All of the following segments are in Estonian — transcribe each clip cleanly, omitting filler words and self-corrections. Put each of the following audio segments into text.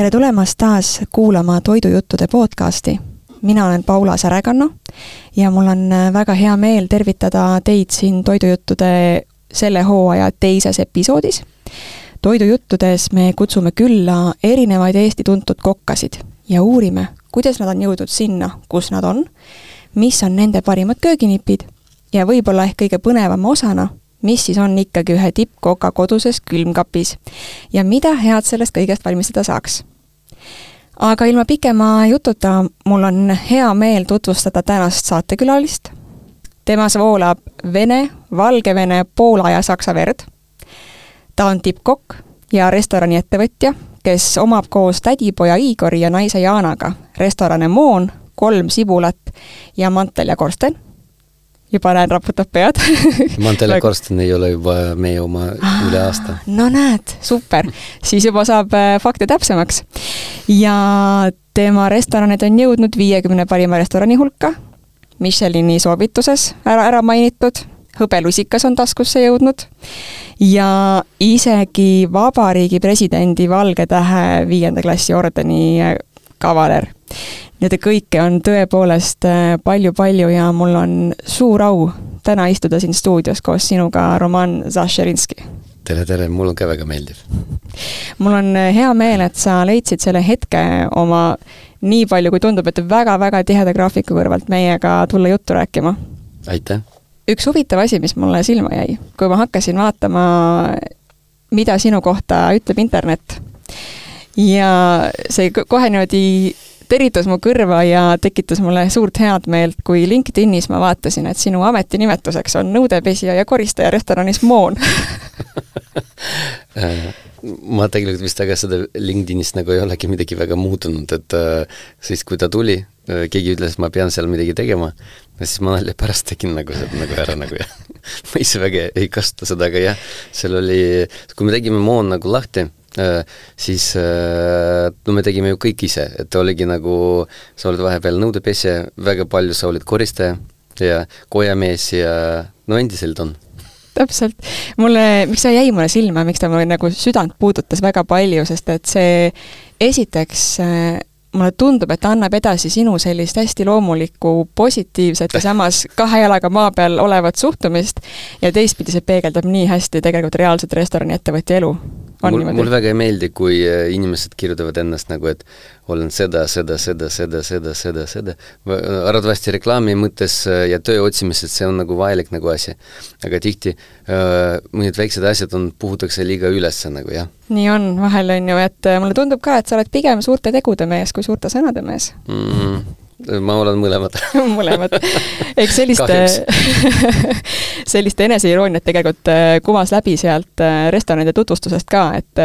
Tere tulemast taas kuulama Toidujuttude podcasti. Mina olen Paula Särekanno ja mul on väga hea meel tervitada teid siin Toidujuttude selle hooaja teises episoodis. Toidujuttudes me kutsume külla erinevaid Eesti tuntud kokkasid ja uurime, kuidas nad on jõudnud sinna, kus nad on, mis on nende parimad kööginipid ja võib-olla ehk kõige põnevama osana, mis siis on ikkagi ühe tippkoka koduses külmkapis ja mida head sellest kõigest valmistada saaks. Aga ilma pikema jututa mul on hea meel tutvustada tänast saatekülalist. Temas voolab Vene, Valgevene, Poola ja Saksa verd. Ta on tippkokk ja restorani ettevõtja, kes omab koos tädipoja Igori ja naise Jaanaga restorane Moon, 3 sibulat ja Mantel ja Korsten. Juba näen, raputab pead. Mantel ja Korsten ei ole juba meie oma üle aasta. No näed, super. Siis juba saab fakte täpsemaks. Ja tema restoranid on jõudnud 50 parima restorani hulka. Michelini soovituses ära mainitud. Hõbelusikas on taskusse jõudnud. Ja isegi Vabariigi presidendi Valge Tähe 5. klassi ordeni kavaler. Need kõike on tõepoolest palju ja mul on suur au täna istuda siin stuudios koos sinuga, Roman Zašerinski. Tere, mul on ka väga meeldiv. Mul on hea meel, et sa leidsid selle hetke oma nii palju, kui tundub, et väga tiheda graafiku kõrvalt meiega tulla juttu rääkima. Aitäh! Üks huvitav asi, mis mulle silma jäi, kui ma hakkasin vaatama, mida sinu kohta ütleb internet. Ja see kohe niimoodi teritus mu kõrva ja tekitas mulle suurt head meelt, kui LinkedInis ma vaatasin, et sinu ametinimetuseks on nõudepesija ja koristaja restoranis Moon. Ma tegelikult vist aga seda LinkedInist nagu ei olegi midagi väga muutunud, et siis kui ta tuli, keegi ütles, ma pean seal midagi tegema, ja siis ma nalja pärast tegin nagu seda nagu ära nagu ja ma ise väga ei kasuta seda, aga jah, seal oli, kui me tegime Moon nagu lahti, siis me tegime ju kõik ise, et oligi nagu, sa olid vahepeal nõudepesja, väga palju sa olid koristaja ja kojamees ja no endiselt on. Täpselt. Miks see jäi mulle silma, miks ta mulle nagu südant puudutas väga palju, sest et see esiteks mulle tundub, et annab edasi sinu sellist hästi loomulikku, positiivset ja samas 2 jalaga maa peal olevat suhtumist ja teistpidi see peegeldab nii hästi tegelikult reaalset restorani ettevõtja elu. Mul väga ei meeldi, kui inimesed kirjutavad ennast nagu, et olen seda. Arvatavasti reklaami mõttes ja töö otsimised, see on nagu vajalik nagu asi. Aga tihti mõned väiksed asjad puhutakse liiga ülesse nagu, jah. Nii on, vahel on ju, et mulle tundub ka, et sa oled pigem suurte tegude mees kui suurte sõnade mees. Ma olen mõlemad. Mõlemad. Eks selliste eneseirooniat tegelikult kumas läbi sealt restoranide tutvustusest ka, et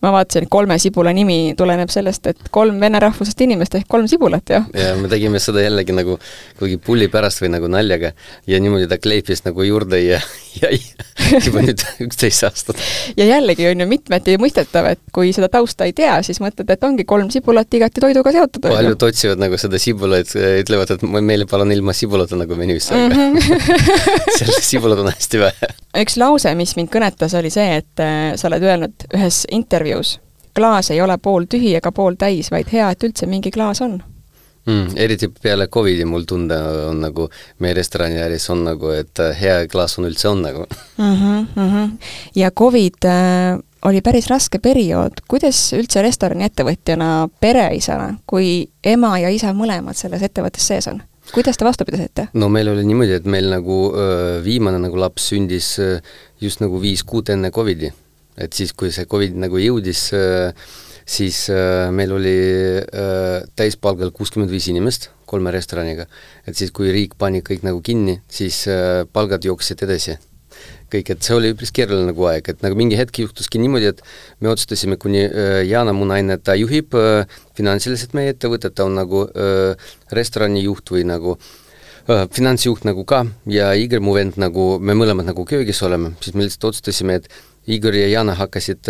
ma vaatasin, 3 sibula nimi tuleneb sellest, et 3 vene rahvusest inimest ehk 3 sibulat, jah? Ja me tegime seda jällegi nagu kuigi pulli pärast või nagu naljaga ja niimoodi ta kleipis nagu juurde ja juba nüüd 11 aastat. Ja jällegi on ju mitmeti mõistetav, et kui seda tausta ei tea, siis mõtled, et ongi 3 sibulat igati toiduga seotud. Paljud otsivad nagu seda sibulaid, ütlevad, et meile palun ilma sibulata nagu menüüs, aga selle sibulat on hästi vähe. Üks lause, mis mind kõnetas, oli see, et sa oled öelnud ühes intervjuus, klaas ei ole pool tühi ega pool täis, vaid hea, et üldse mingi klaas on. Eriti peale COVID-i mul tunde on nagu, meie restorani äris on nagu, et hea klaas on üldse on nagu. Ja COVID oli päris raske periood. Kuidas üldse restorani ettevõtjana pereisana, kui ema ja isa mõlemad selles ettevõttes sees on? Kuidas te vastu pidasite? No meil oli niimoodi, et meil nagu viimane nagu laps sündis just nagu 5 kuud enne COVID-i. Et siis, kui see COVID nagu jõudis, siis meil oli täispalgal 65 inimest 3 restoraniga. Et siis, kui riik pani kõik nagu kinni, siis palgad jooksid edasi. Kõik, et see oli üpris keeruline nagu aeg, et nagu mingi hetk juhtuski niimoodi, et me otsustasime, kuni Jaana, mu naine, ta juhib finantsiliselt meie ettevõtet, ta on nagu restorani juht või nagu finantsjuht nagu ka ja Igor, mu vend, nagu me mõlemad nagu köögis oleme, siis me lihtsalt otsustasime, et Igor ja Jaana hakkasid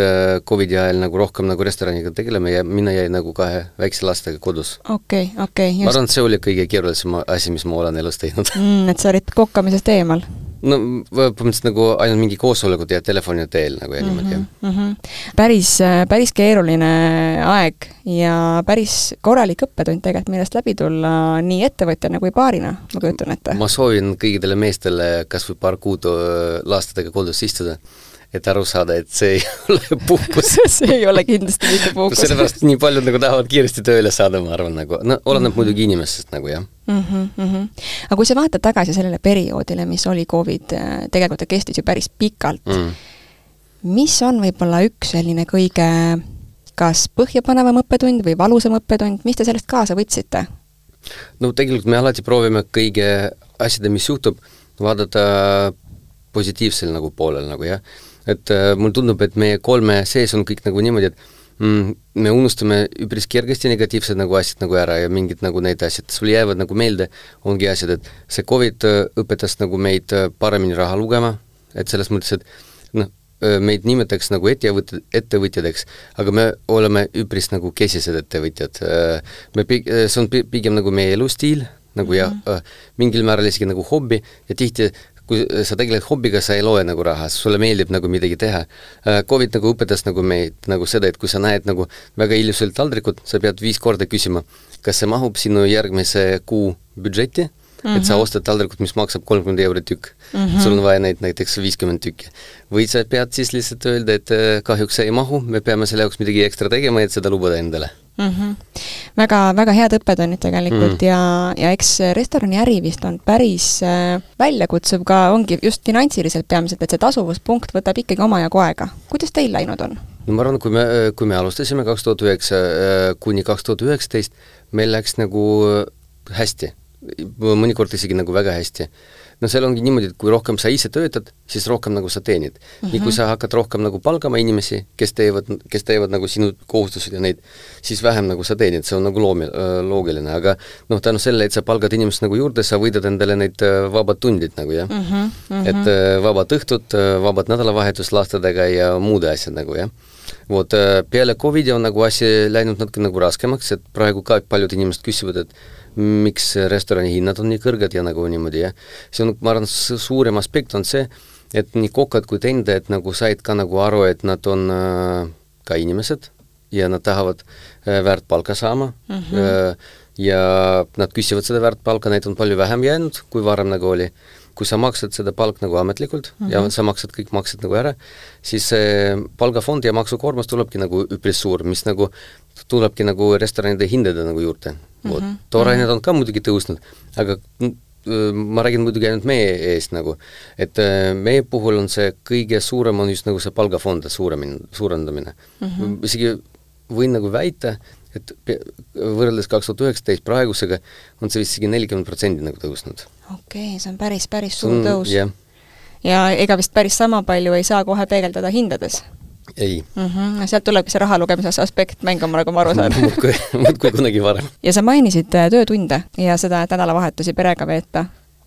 COVID-i ajal nagu rohkem nagu restoraniga tegelema ja mina jäi nagu 2 väikse lastega kodus. Okei. Ma arvan, see oli kõige keerulisem asi, mis ma olen elus teinud. Et sa olid kokkamisest eemal? no põhimõtteliselt nagu ainult mingi koosolekud ja telefoni teel nagu ja niimoodi. Päris keeruline aeg ja päris korralik õppetund tegelikult, millest läbi tulla nii ettevõtjana kui paarina, ma kujutan ette. Ma soovin kõigidele meestele kas või paar kuud lastadega kodus istuda, et aru saada, et see ei ole puhkus. See ei ole kindlasti mitte puhkus. Sellepärast nii paljud nagu tahavad kiiresti tööle saada, ma arvan, nagu, no oleneb muidugi inimesest nagu, jah. Aga kui sa vaatad tagasi sellele perioodile, mis oli COVID, tegelikult ta kestis ju päris pikalt. Mis on võib-olla üks selline kõige kas põhjapanevam õppetund või valusam õppetund, mis te sellest kaasa võtsite? No tegelikult me alati proovime kõige asjade, mis juhtub, vaadata positiivsel nagu poolel nagu, jah. Et mul tundub, et meie 3 sees on kõik nagu niimoodi, et me unustame üpris kergesti negatiivsed nagu asjad nagu ära ja mingid nagu need asjad, sul jäävad nagu meelde, ongi asjad, et see COVID õpetas nagu meid paremini raha lugema, et selles mõttes, et noh, meid nimetaks nagu ettevõtjadeks, aga me oleme üpris nagu kesised ettevõtjad. See on pigem nagu meie elustiil, nagu ja mingil määral isegi nagu hobbi ja tihti kui sa tegeled hobbiga, sa ei loe nagu raha, sulle meeldib nagu midagi teha. COVID nagu õpetas nagu meid nagu seda, et kui sa näed nagu väga ilusalt taldrikut, sa pead 5 korda küsima, kas see mahub sinu järgmise kuu budžeti, et sa ostad taldrikut, mis maksab 30 € tükk. Sul on vaja neid näiteks 50 tükki. Või sa pead siis lihtsalt öelda, et kahjuks see ei mahu, me peame selle jaoks midagi ekstra tegema, et seda lubada endale. Väga head õppetunnid tegelikult ja eks restorani äri vist on päris väljakutsuv ka, ongi just finantsiliselt peamiselt, et see tasuvuspunkt võtab ikkagi omajagu aega. Kuidas teil läinud on? No ma arvan, kui me alustasime 2009 kuni 2019, meil läks nagu hästi. Mõnikord isegi nagu väga hästi. No seal ongi niimoodi, et kui rohkem sa ise töötad, siis rohkem nagu sa teenid. Nii kui sa hakkad rohkem nagu palgama inimesi, kes teevad nagu sinu kohustused ja neid, siis vähem nagu sa teenid, see on nagu loogiline, aga noh, tänu selle, et sa palgad inimest nagu juurde, sa võidad endale neid vabad tundid nagu, jah. Et vabad õhtud, vabad nädalavahetus lastadega ja muude asjad nagu, jah. Vot, peale COVID on nagu asi läinud natuke nagu raskemaks, et praegu ka paljud inimesed küsivad, et miks restorani hinnad on nii kõrged ja nagu niimoodi, jah. See on, ma arvan, suurem aspekt on see, et nii kokad kui tendajad nagu said ka nagu aru, et nad on ka inimesed ja nad tahavad väärt palka saama ja nad küsivad seda väärt palka, neid on palju vähem jäänud, kui varem nagu oli. Kui sa maksad seda palk nagu ametlikult ja sa maksad kõik maksed nagu ära, siis palgafond ja maksukoormus tulebki nagu üpris suur, mis nagu tulebki nagu restoranide hindade nagu juurde. Toorained on ka muidugi tõusnud, aga ma räägin muidugi ainult meie eest nagu, et meie puhul on see kõige suurem on just nagu see palgafond suurendamine. Isegi võin nagu väita, et võrreldes 2019 praegusega on see vist isegi 40% nagu tõusnud. Okei, see on päris suur tõus. Ja ega vist päris sama palju ei saa kohe peegeldada hindades? Ei. Sealt tulebki see raha lugemise aspekt mängama, nagu ma aru saan. Muudkui kunagi varem. Ja sa mainisid töötunde ja seda, et nädalavahetusi perega veeta.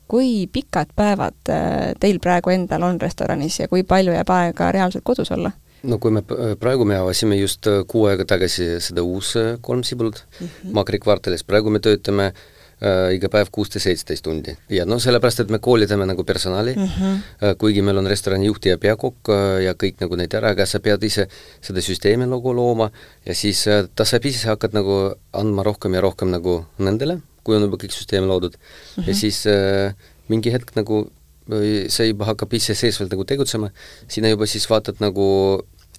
Kui pikad päevad teil praegu endal on restoranis ja kui palju jääb aega reaalselt kodus olla? No kui praegu me avasime just 6 aega tagasi seda uus 3 Sibulut Makri kvartalis, praegu me töötame iga päev 16-17 tundi. Ja no sellepärast, et me koolitame nagu personali, kuigi meil on restorani juhti ja peakokk ja kõik nagu neid ära, aga sa pead ise seda süsteemi nagu looma ja siis ta saab ise hakkad nagu andma rohkem ja rohkem nagu nendele, kui on juba kõik süsteemi loodud. Ja siis mingi hetk nagu see juba hakkab ise seesvalt nagu tegutsema, sina juba siis vaatad nagu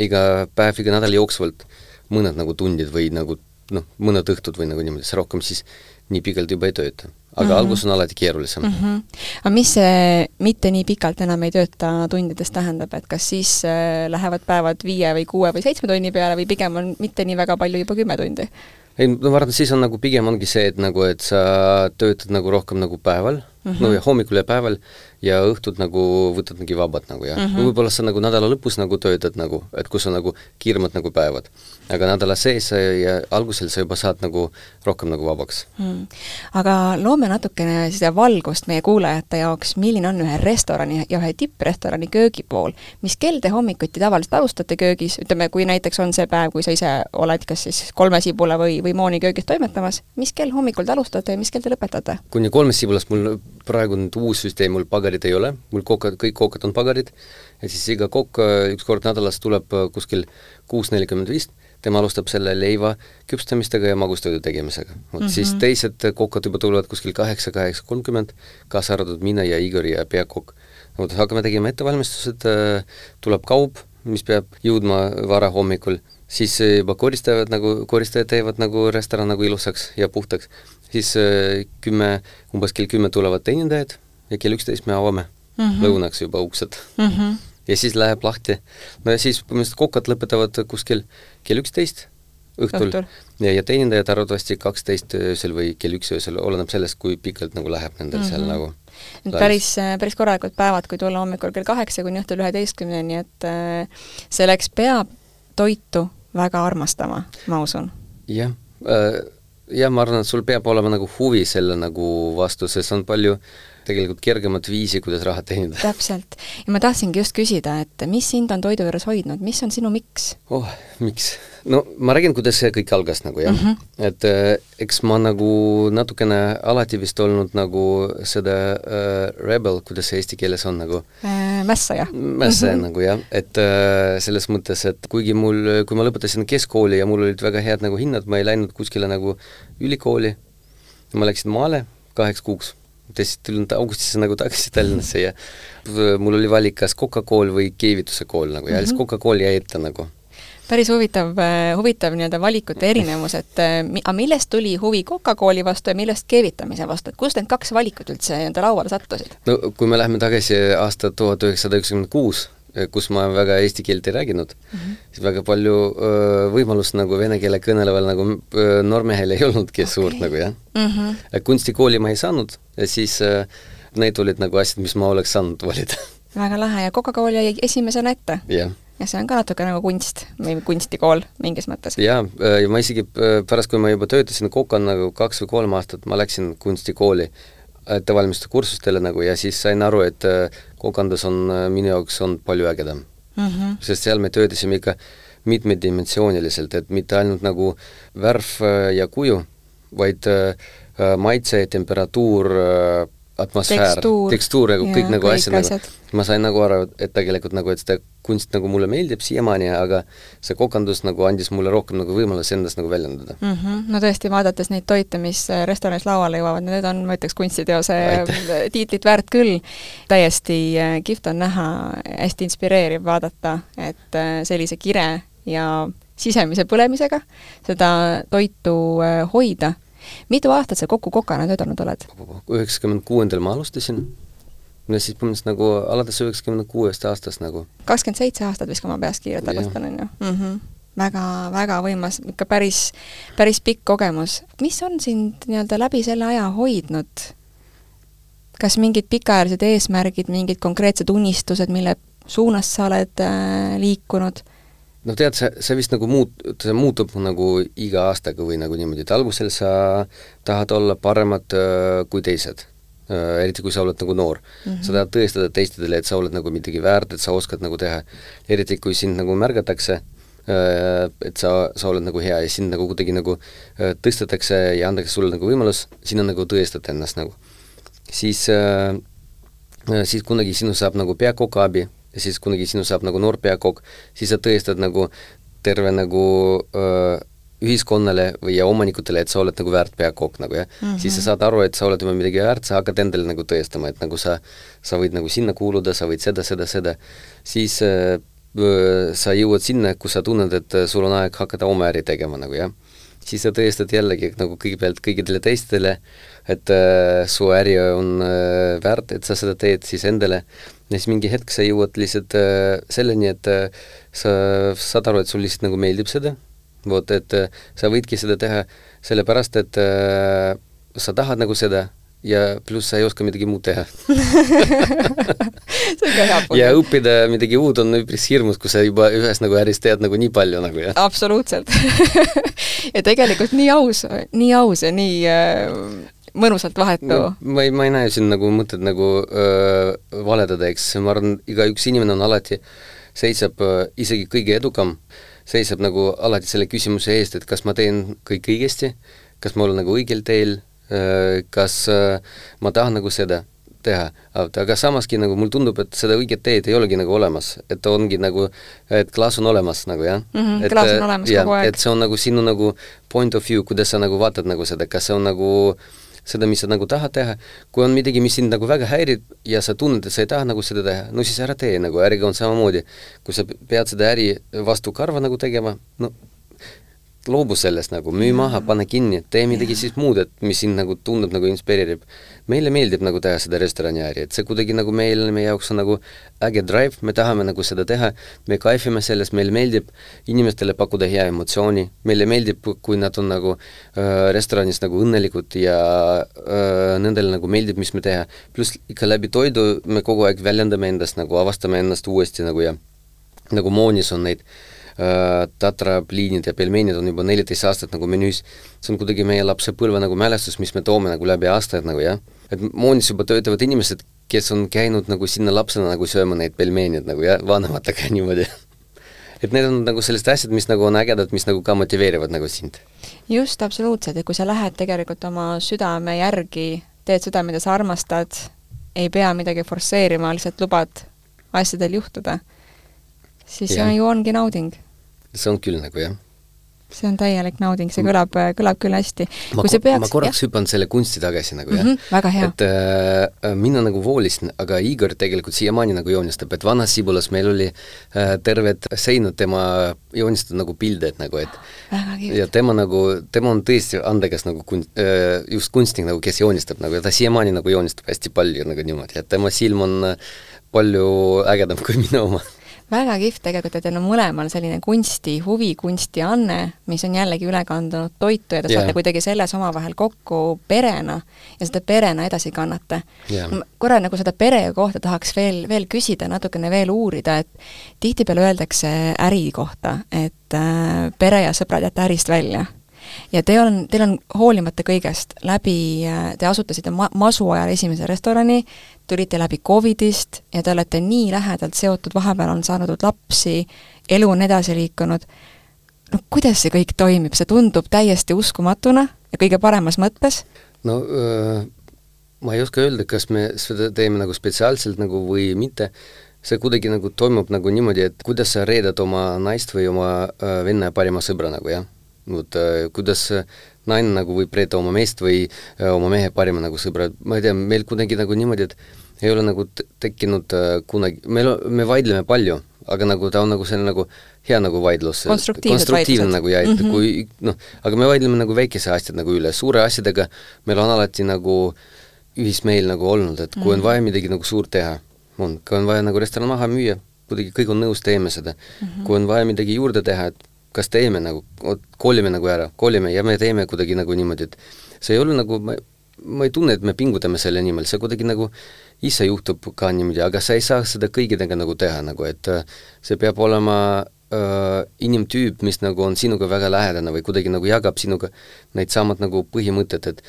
iga päev, iga nädal jooksvalt mõned nagu tundid või nagu noh, mõned õhtud või nagu niimoodi, see rohkem siis nii pikalt juba ei tööta. Aga algus on alati keerulisem. Aga mis see mitte nii pikalt enam ei tööta tundides tähendab, et kas siis lähevad päevad 5 või 6 või 7 tunni peale või pigem on mitte nii väga palju juba 10 tundi? Ei, no ma arvan, siis on nagu pigem ongi see, et sa töötad nagu rohkem nagu päeval, no ja hommikul ja päeval ja õhtud nagu võtad mingi vabad nagu ja võib-olla sa nagu nädala lõpus nagu töötad nagu, et kus on nagu kiiremad nagu päevad. Aga nädala sees ja algusel sa juba saad nagu rohkem nagu vabaks. Aga loome natukene seda valgust meie kuulajate jaoks, milline on ühe restorani ja ühe tipprestorani köögipool. Mis kell te hommikuti tavaliselt alustate köögis? Ütleme, kui näiteks on see päev, kui sa ise oled kas siis 3 Sibula või Mooni köögis toimetamas, mis kell hommikul te alustate ja mis kell te lõpetate? Kuni 3 Sibulast mul praegu nüüd uus süsteem, mul pagari pagarit ei ole, mul kõik kookad on pagarid, ja siis iga kokk üks kord nädalas tuleb kuskil 6:45, tema alustab selle leiva küpstamistega ja magustoidu tegemisega. Siis teised kokkad juba tulevad kuskil 8:30, kaasa arvatud mina ja Igor ja peakokk. Hakkame tegema ettevalmistused, tuleb kaup, mis peab jõudma vara hommikul, siis juba koristajad teevad nagu restoran nagu ilusaks ja puhtaks. Siis umbes kell 10 tulevad teenindajad ja kell 11 me avame lõunaks juba uksed. Ja siis läheb lahti. No ja siis kokkad lõpetavad kuskil kell 11 õhtul. Ja teenindajad arvatavasti 12 öösel või kell 1 öösel, oleneb sellest, kui pikalt nagu läheb nendel seal nagu. Päris korralikud päevad, kui tulla hommikul kell 8 kuni õhtul 11, nii et selleks peab toitu väga armastama, ma usun. Jah, ma arvan, et sul peab olema nagu huvi selle nagu vastu, sest on palju tegelikult kergemat viisi, kuidas raha teenida. Täpselt. Ja ma tahtsingi just küsida, et mis sind on toidu juures hoidnud, mis on sinu miks? Miks? No ma räägin, kuidas see kõik algas nagu, jah. Et eks ma nagu natukene alati vist olnud nagu seda rebel, kuidas see eesti keeles on nagu? Mässaja. Mässaja nagu, jah. Et selles mõttes, et kuigi kui ma lõpetasin keskkooli ja mul olid väga head nagu hinnad, ma ei läinud kuskile nagu ülikooli, ma läksin maale 2 kuuks. Siis tulin augustisse nagu tagasi Tallinnasse ja mul oli valik kas Coca-Cola või keevituse kool nagu, ja lihtsalt Coca-Cola jäi ette nagu. Päris huvitav nii-öelda valikute erinevus, et millest tuli huvi Coca-Cola vastu ja millest keevitamise vastu, et kust need 2 valikut üldse nii-öelda lauale sattusid? No kui me läheme tagasi aasta 1996, kus ma väga eesti keelt ei rääginud, siis väga palju võimalust nagu vene keele kõneleval nagu noormehel ei olnudki suurt nagu, jah. Kunstikooli ma ei saanud ja siis need olid nagu asjad, mis ma oleks saanud valida. Väga lahe ja Coca-Cola jäi esimesena ette. Jah. Ja see on ka natuke nagu kunst või kunstikool mingis mõttes. Jaa, ja ma isegi pärast, kui ma juba töötasin Coca-n nagu 2 või 3 aastat, ma läksin kunstikooli ettevalmistuste kursustele nagu ja siis sain aru, et kokandus on minu jaoks on palju ägedam. Sest seal me töötasime ikka mitmedimensiooniliselt, et mitte ainult nagu värv ja kuju, vaid maitse, temperatuur, atmosfäär, tekstuur ja kõik nagu asjad nagu. Ma sain nagu aru, et tegelikult nagu, et seda kunst nagu mulle meeldib siiamaani, aga see kokandus nagu andis mulle rohkem nagu võimalus endast nagu väljendada. No tõesti, vaadates neid toite, mis restoranis lauale jõuavad, need on, ma ütleks, kunstiteose tiitlit väärt küll. Täiesti kihvt on näha, hästi inspireeriv vaadata, et sellise kire ja sisemise põlemisega seda toitu hoida. Mitu aastat sa kokku kokana töötanud oled? 96. ma alustasin. Ja siis põhimõtteliselt nagu alates 96. aastast nagu. 27 aastat viska ma peas kiirelt arvestan, on ju. Väga võimas, ikka päris pikk kogemus. Mis on sind nii-öelda läbi selle aja hoidnud? Kas mingid pikaajalised eesmärgid, mingid konkreetsed unistused, mille suunas sa oled liikunud? No tead, see vist nagu muutub nagu iga aastaga või nagu niimoodi, et algusel sa tahad olla paremad kui teised, eriti kui sa oled nagu noor. Sa tahad tõestada teistedele, et sa oled nagu midagi väärt, et sa oskad nagu teha. Eriti kui sind nagu märgatakse, et sa oled nagu hea ja sind nagu kuidagi nagu tõstetakse ja antakse sulle nagu võimalus, sinna nagu tõestada ennast nagu. Siis kunagi sinu saab nagu peakoka abi, ja siis kunagi sinu saab nagu noor peakokk, siis sa tõestad nagu terve nagu ühiskonnale või ja omanikutele, et sa oled nagu väärt peakokk nagu, jah. Siis sa saad aru, et sa oled juba midagi väärt, sa hakkad endale nagu tõestama, et nagu sa võid nagu sinna kuuluda, sa võid seda. Siis sa jõuad sinna, kus sa tunned, et sul on aeg hakata oma äri tegema nagu, jah. Siis sa tõestad jällegi nagu kõigepealt kõigidele teistele, et su äri on väärt, et sa seda teed siis endale. Ja siis mingi hetk sa jõuad lihtsalt selleni, et sa saad aru, et sul lihtsalt nagu meeldib seda. Et sa võidki seda teha sellepärast, et sa tahad nagu seda ja pluss sa ei oska midagi muud teha. See on ka hea põhjus. Ja õppida midagi uud on üpris hirmus, kui sa juba ühes nagu äris tead nagu nii palju nagu, jah. Absoluutselt. Ja tegelikult nii aus ja nii mõnusalt vahetu. No, ma ei näe siin nagu mõtted nagu valedada, eks. Ma arvan, iga üks inimene on alati seisab isegi kõige edukam, seisab nagu alati selle küsimuse eest, et kas ma teen kõik õigesti, kas ma olen nagu õigel teel, kas ma tahan nagu seda. teha, aga samaski nagu mul tundub, et seda õiget teed ei olegi nagu olemas, et ongi nagu, et klaas on olemas nagu jah. Klaas on olemas kogu aeg. Et see on nagu sinu nagu point of view, kuidas sa nagu vaatad nagu seda, kas see on nagu seda, mis sa nagu tahad teha, kui on midagi, mis sind nagu väga häirib ja sa tunned, et sa ei taha nagu seda teha, no siis ära tee nagu, äriga on samamoodi. Kui sa pead seda äri vastu karva nagu tegema, no loobu sellest nagu, müü maha, pane kinni, tee midagi siis muud, et mis sind nagu tundub nagu inspireerib. Meile meeldib nagu teha seda restorani äri, et see kuidagi nagu meie jaoks on nagu äge drive, me tahame nagu seda teha, me kaifime sellest, meile meeldib inimestele pakkuda hea emotsiooni, meile meeldib, kui nad on nagu restoranis nagu õnnelikud ja nendele nagu meeldib, mis me teha. Plus ikka läbi toidu me kogu aeg väljendame endast, nagu avastame ennast uuesti nagu ja nagu Moonis on neid tatrapliinid ja pelmeenid on juba 14 aastat nagu menüüs. See on kuidagi meie lapsepõlve nagu mälestus, mis me toome nagu läbi aastaid nagu jah. Et Moonis juba töötavad inimesed, kes on käinud nagu sinna lapsena nagu sööma neid pelmeenid nagu ja vanematega niimoodi. Et need on nagu sellest asjad, mis nagu on ägedad, mis nagu ka motiveerivad nagu sind. Just, absoluutselt, et kui sa lähed tegelikult oma südame järgi, teed seda, mida sa armastad, ei pea midagi forsseerima, lihtsalt lubad asjadel juhtuda, siis see ju ongi nauding. See on küll nagu jah. See on täielik nauding, see kõlab küll hästi. Ma korraks hüpan selle kunsti tagasi nagu jah. Väga hea. Et mina nagu voolisin, aga Igor tegelikult siiamaani nagu joonistab, et vanas Sibulas meil oli terved seinad tema joonistada nagu pilded nagu, et väga kihvt. Ja tema on tõesti andekas nagu just kunstnik nagu, kes joonistab nagu, ja ta siiamaani nagu joonistab hästi palju nagu niimoodi, et tema silm on palju ägedam kui minu oma. Väga kihvt tegelikult, et teil on mõlemal selline kunsti, huvi, kunsti anne, mis on jällegi üle kandunud toitu ja te saate kuidagi selles omavahel kokku perena ja seda perena edasi kannate. Korra nagu seda pere kohta tahaks veel küsida, natukene veel uurida, et tihtipeale öeldakse äri kohta, et pere ja sõbrad jätta ärist välja. Ja teil on hoolimata kõigest te asutasite masu ajal esimese restorani, tulite läbi COVIDist ja te olete nii lähedalt seotud, vahepeal on saanud lapsi, elu on edasi liikunud. No kuidas see kõik toimib? See tundub täiesti uskumatuna ja kõige paremas mõttes? No ma ei oska öelda, kas me seda teeme nagu spetsiaalselt nagu või mitte. See kuidagi nagu toimub nagu niimoodi, et kuidas sa reedad oma naist või oma venna parima sõbra nagu, jah? Kuidas naine nagu võib reeta oma meest või oma mehe parima nagu sõbra, ma ei tea, meil kuidagi nagu niimoodi, et ei ole nagu tekkinud kunagi, me vaidleme palju, aga nagu ta on nagu selline nagu hea nagu vaidlus, konstruktiivne nagu ja, et kui, aga me vaidleme nagu väikese asjad nagu üle, suure asjadega meil on alati nagu ühismeel nagu olnud, et kui on vaja midagi nagu suurt teha, kui on vaja nagu restoran maha müüa, kuidagi kõik on nõus, teeme seda, kui on vaja midagi juurde teha, et kas teeme nagu, kolime nagu ära, kolime ja me teeme kuidagi nagu niimoodi, et see ei ole nagu, ma ei tunne, et me pingutame selle nimel, see kuidagi nagu ise juhtub ka niimoodi, aga sa ei saa seda kõigidega nagu teha nagu, et see peab olema inimtüüp, mis nagu on sinuga väga lähedane või kuidagi nagu jagab sinuga neid samad nagu põhimõtted, et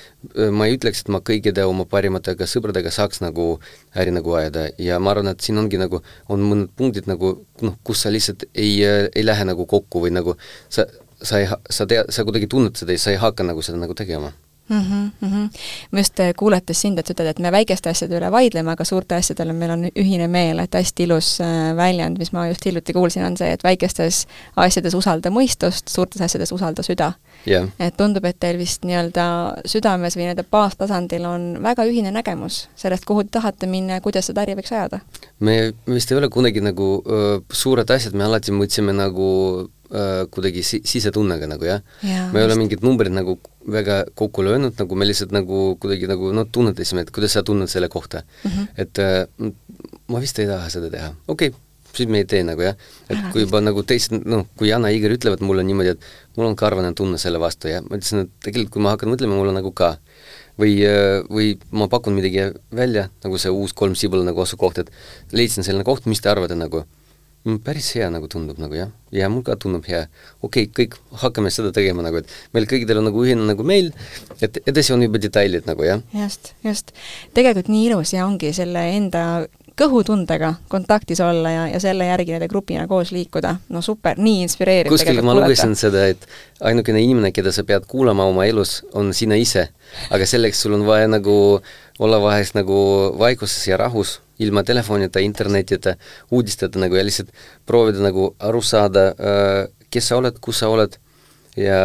ma ei ütleks, et ma kõigide oma parimatega sõbradega saaks nagu äri nagu ajada ja ma arvan, et siin ongi nagu, on mõned punktid nagu, kus sa lihtsalt ei lähe nagu kokku või nagu sa kuidagi tunned seda ja sa ei hakka nagu seda nagu tegema. Ma just kuuletes sind, et sa ütled, et me väikeste asjade üle vaidleme, aga suurte asjadele meil on ühine meel, et hästi ilus väljend, mis ma just hiljuti kuulsin, on see, et väikestes asjades usalda mõistust, suurtes asjades usalda süda. Et tundub, et teil vist nii-öelda südames või nii-öelda baastasandil on väga ühine nägemus sellest, kuhu te tahate minna ja kuidas seda äri võiks ajada. Me vist ei ole kunagi nagu suured asjad, me alati mõtlesime nagu kuidagi sisetunnega nagu, jah. Me ei ole mingid numbrid nagu väga kokku löönud, nagu me lihtsalt nagu kuidagi nagu tunnetasime, et kuidas sa tunned selle kohta. Et ma vist ei taha seda teha. Okei, siis me ei tee nagu, jah. Et kui juba nagu teised, kui Jana ja Igor ütlevad mulle niimoodi, et mul on karvane tunne selle vastu, ja ma ütlesin, et tegelikult kui ma hakkan mõtlema, mul on nagu ka. Või ma pakun midagi välja, nagu see uus 3 Sibula nagu asukoht, et leidsin selline koht, mis te arvate nagu päris hea nagu tundub nagu, jah. Ja mul ka tundub hea. Okei, kõik hakkame seda tegema nagu, et meil kõigidel on nagu ühine nagu meil, et edasi on juba detailid nagu, jah. Just. Tegelikult nii ilus ja ongi selle enda kõhutundega kontaktis olla ja selle järgi nende grupina koos liikuda. No super, nii inspireeriv. Kuskil ma lugesin seda, et ainukene inimene, keda sa pead kuulama oma elus, on sina ise. Aga selleks sul on vaja nagu olla vahest nagu vaikuses ja rahus, ilma telefonita, internetita, uudisteta nagu ja lihtsalt proovida nagu aru saada, kes sa oled, kus sa oled ja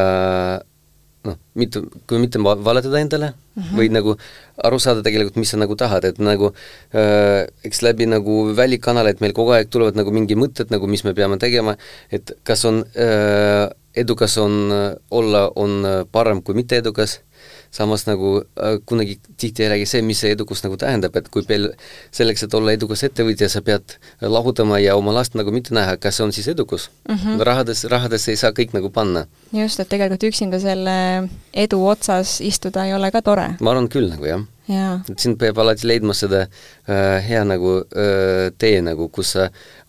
kui mitte valetada endale või nagu aru saada tegelikult, mis sa nagu tahad, et nagu eks läbi nagu välikanaleid meil kogu aeg tulevad nagu mingi mõtted, nagu mis me peame tegema, et kas on edukas on parem kui mitte edukas, samas nagu kunagi tihti ei räägi see, mis see edukus nagu tähendab, et kui selleks, et olla edukas ettevõtja, sa pead lahutama ja oma last nagu mitte näha, kas see on siis edukus. Rahades ei saa kõik nagu panna. Just, et tegelikult üksinda selle edu otsas istuda ei ole ka tore. Ma arvan küll nagu, jah. Et siin peab alati leidma seda hea nagu tee, nagu, kus sa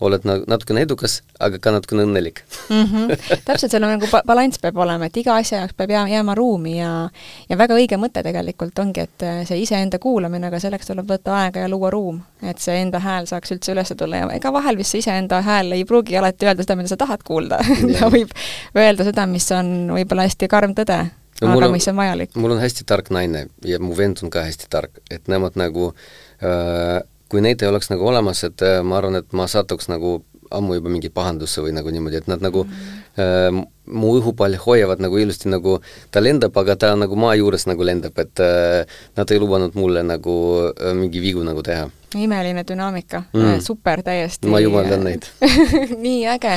oled natukene edukas, aga ka natukene õnnelik. Täpselt, seal on nagu balans peab olema, et iga asja jaoks peab jääma ruumi ja väga õige mõte tegelikult ongi, et see iseenda kuulamine, aga selleks tuleb võtta aega ja luua ruum, et see enda hääl saaks üldse üles tulla ja ega vahel vist see iseenda hääl ei pruugi alati öelda seda, mida sa tahad kuulda. Ta võib öelda seda, mis on võib-olla hästi karm tõde. Aga mis on vajalik. Mul on hästi tark naine ja mu vend on ka hästi tark, et nemad nagu, kui neid ei oleks nagu olemas, et ma arvan, et ma satuks nagu ammu juba mingi pahandusse või nagu niimoodi, et nad nagu mu õhupall hoiavad nagu ilusti nagu, ta lendab, aga ta nagu maa juures nagu lendab, et nad ei lubanud mulle nagu mingi vigu nagu teha. Imeline dünaamika, super täiesti. Ma jumaldan neid. Nii äge.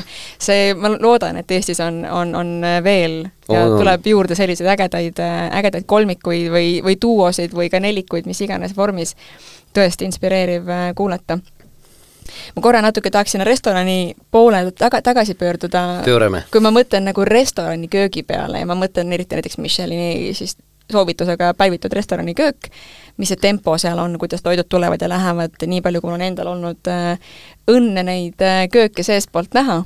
Ma loodan, et Eestis on veel ja tuleb juurde selliseid ägedaid kolmikuid või duosid või ka nelikuid, mis iganes vormis. Tõesti inspireeriv kuulata. Ma korra natuke tahaksin restorani poole tagasi pöörduda. Pöörame. Kui ma mõtlen nagu restorani köögi peale ja ma mõtlen eriti näiteks Michelini siis soovitusega päivitud restorani köök, mis see tempo seal on, kuidas toidud tulevad ja lähevad, nii palju, kui on endal olnud õnne neid kööke seestpoolt näha.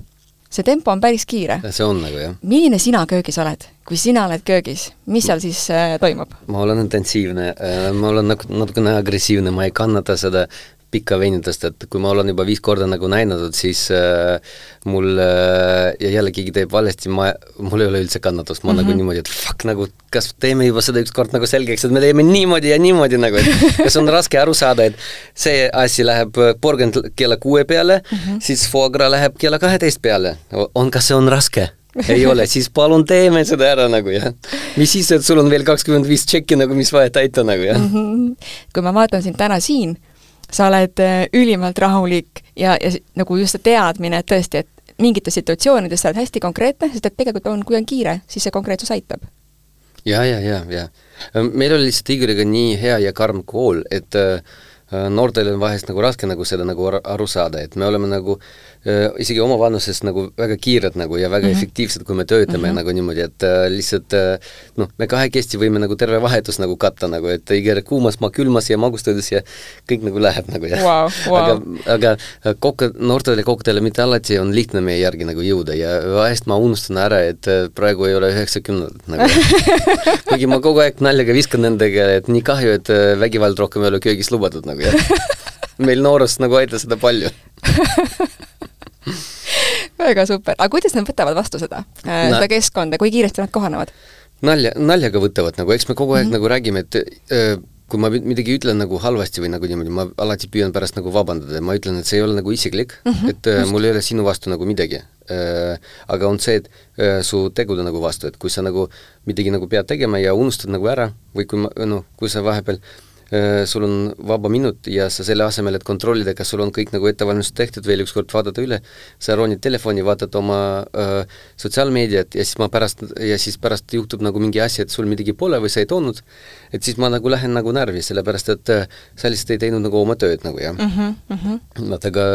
See tempo on päris kiire. See on nagu, jah. Milline sina köögis oled? Kui sina oled köögis, mis seal siis toimub? Ma olen intensiivne, ma olen natukene agressiivne, ma ei kannata seda pikka veinitust, et kui ma olen juba 5 korda nagu näinud, siis mul ja jälle keegi teeb valesti, mul ei ole üldse kannatust, ma nagu niimoodi, et fuck, nagu, kas teeme juba seda üks kord nagu selgeks, et me teeme niimoodi ja niimoodi nagu, et kas on raske aru saada, et see asi läheb porgand kella 6 peale, siis foie gras läheb kella 12 peale. Kas see on raske? Ei ole, siis palun teeme seda ära nagu, jah. Mis siis, et sul on veel 25 tšekki nagu, mis vaja täita nagu, jah. Kui ma vaatan sind täna siin, sa oled ülimalt rahulik ja nagu just see teadmine, et tõesti, et mingites situatsioonides sa oled hästi konkreetne, sest et tegelikult kui on kiire, siis see konkreetsus aitab. Ja. Meil oli lihtsalt Igoriga nii hea ja karm kool, et noortel on vahest nagu raske nagu seda nagu aru saada, et me oleme nagu isegi oma vanuses nagu väga kiired nagu ja väga efektiivsed, kui me töötame nagu niimoodi, et lihtsalt me kahekesti võime nagu terve vahetus nagu katta nagu, et Igor kuumas, ma külmas ja magustades ja kõik nagu läheb nagu, jah. Wow. Aga noortele kokkudele mitte alati on lihtne meie järgi nagu jõuda ja vahest ma unustan ära, et praegu ei ole 90 nagu. Kuigi ma kogu aeg naljaga viskan nendega, et nii kahju, et vägivald rohkem ei ole köögis lubatud nagu, jah. Meil noorust nagu aita seda palju. Väga super. Aga kuidas nad võtavad vastu seda keskkonda, kui kiiresti nad kohanevad? Naljaga võtavad, nagu eks me kogu aeg nagu räägime, et kui ma midagi ütlen nagu halvasti või nagu niimoodi, ma alati püüan pärast nagu vabandada, ma ütlen, et see ei ole nagu isiklik, et mul ei ole sinu vastu nagu midagi. Aga on see, et su tegude nagu vastu, et kui sa nagu midagi nagu pead tegema ja unustad nagu ära või kui sa vahepeal sul on vaba minut ja sa selle asemel, et kontrollida, kas sul on kõik nagu ettevalmistus tehtud, veel ükskord vaadata üle, sa ronid telefoni, vaatad oma sotsiaalmeediat ja siis pärast juhtub nagu mingi asi, et sul midagi pole või sa ei toonud, et siis ma nagu lähen nagu närvi, sellepärast et sa lihtsalt ei teinud nagu oma tööd nagu, jah. Aga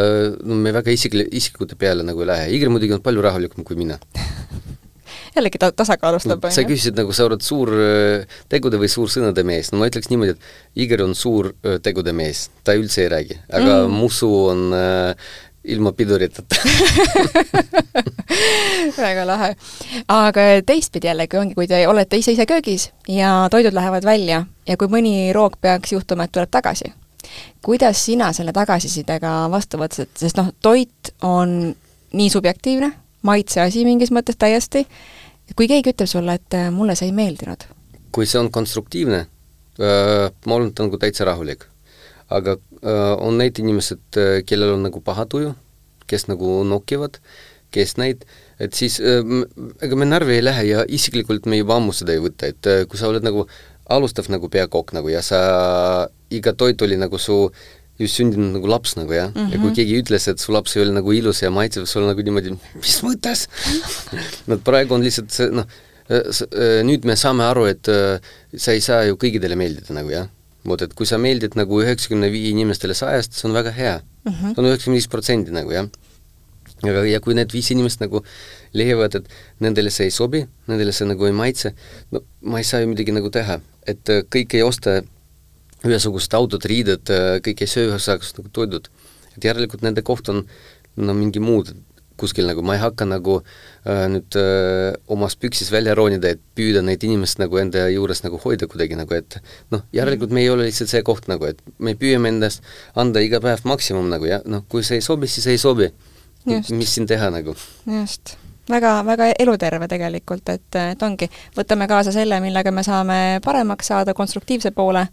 me väga isikute peale nagu ei lähe. Igor muidugi on palju rahulikum kui mina. Jällegi tasakaalustab. Sa küsisid nagu sa oled suur tegude või suur sõnade mees. Ma ütleks niimoodi, et Igor on suur tegude mees. Ta üldse ei räägi. Aga mu suu on ilma piduritata. Väga lahe. Aga teistpidi jällegi ongi, kui te olete ise köögis ja toidud lähevad välja ja kui mõni roog peaks juhtuma, et tuleb tagasi, kuidas sina selle tagasisidega vastu võtsid, sest toit on nii subjektiivne, maitse asi mingis mõttes täiesti, kui keegi ütleb sulle, et mulle see ei meeldinud? Kui see on konstruktiivne, ma olen nagu täitsa rahulik. Aga on neid inimesed, kellel on nagu paha tuju, kes nagu nokivad, kes neid, et siis ega me närvi ei lähe ja isiklikult me juba ammu seda ei võtta, et kui sa oled nagu alustav nagu peakokk nagu ja sa iga toit oli nagu su just sündinud nagu laps nagu ja ja kui keegi ütles, et su laps ei ole nagu ilus ja maitsev, sul nagu niimoodi, mis mõttes? Praegu on lihtsalt see, nüüd me saame aru, et sa ei saa ju kõigidele meeldida nagu jah. Et kui sa meeldid nagu 95 inimestele 100, see on väga hea. See on 95% nagu jah. Ja kui need 5 inimest nagu leiavad, et nendele see ei sobi, nendele see nagu ei maitse, ma ei saa ju midagi nagu teha. Et kõik ei osta ühesugust autod, riided, kõik ei söö ühesugust nagu toidud. Et järelikult nende koht on mingi muud kuskil nagu, ma ei hakka nagu nüüd omas püksis välja roonida, et püüda neid inimest nagu enda juures nagu hoida kuidagi nagu, et järelikult me ei ole lihtsalt see koht nagu, et me püüame endast anda iga päev maksimum nagu ja kui see ei sobi, siis ei sobi. Just. Mis siin teha nagu? Just. Väga, väga eluterve tegelikult, et ongi, võtame kaasa selle, millega me saame paremaks saada konstruktiivse poole,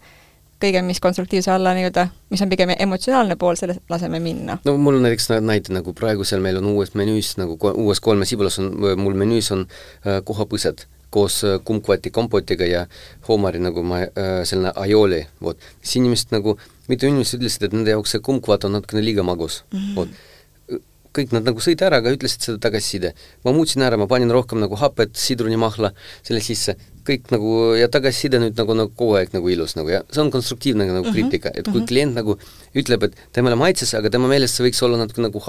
kõige, mis konstruktiivse alla nii-öelda, mis on pigem emotsionaalne pool, selle laseme minna. Mul on näiteks näite, nagu praegu seal meil on uues menüüs, nagu uues 3 sibulas on, mul menüüs on kohapõsed koos kumkvati kompotiga ja hoomari nagu selline aioli. Siis inimesed nagu, mitu inimesed ütlesid, et nende jaoks see kumkvat on natukene liiga magus. Kõik nad nagu sõid ära, aga ütlesid seda tagasiside. Ma muutsin ära, ma panin rohkem nagu hapet, sidrunimahla selle sisse, kõik nagu, ja tagasiside nüüd nagu kogu aeg nagu ilus nagu, ja see on konstruktiivne nagu kriitika, et kui klient nagu ütleb, et temale maitses, aga tema meelest see võiks olla natuke nagu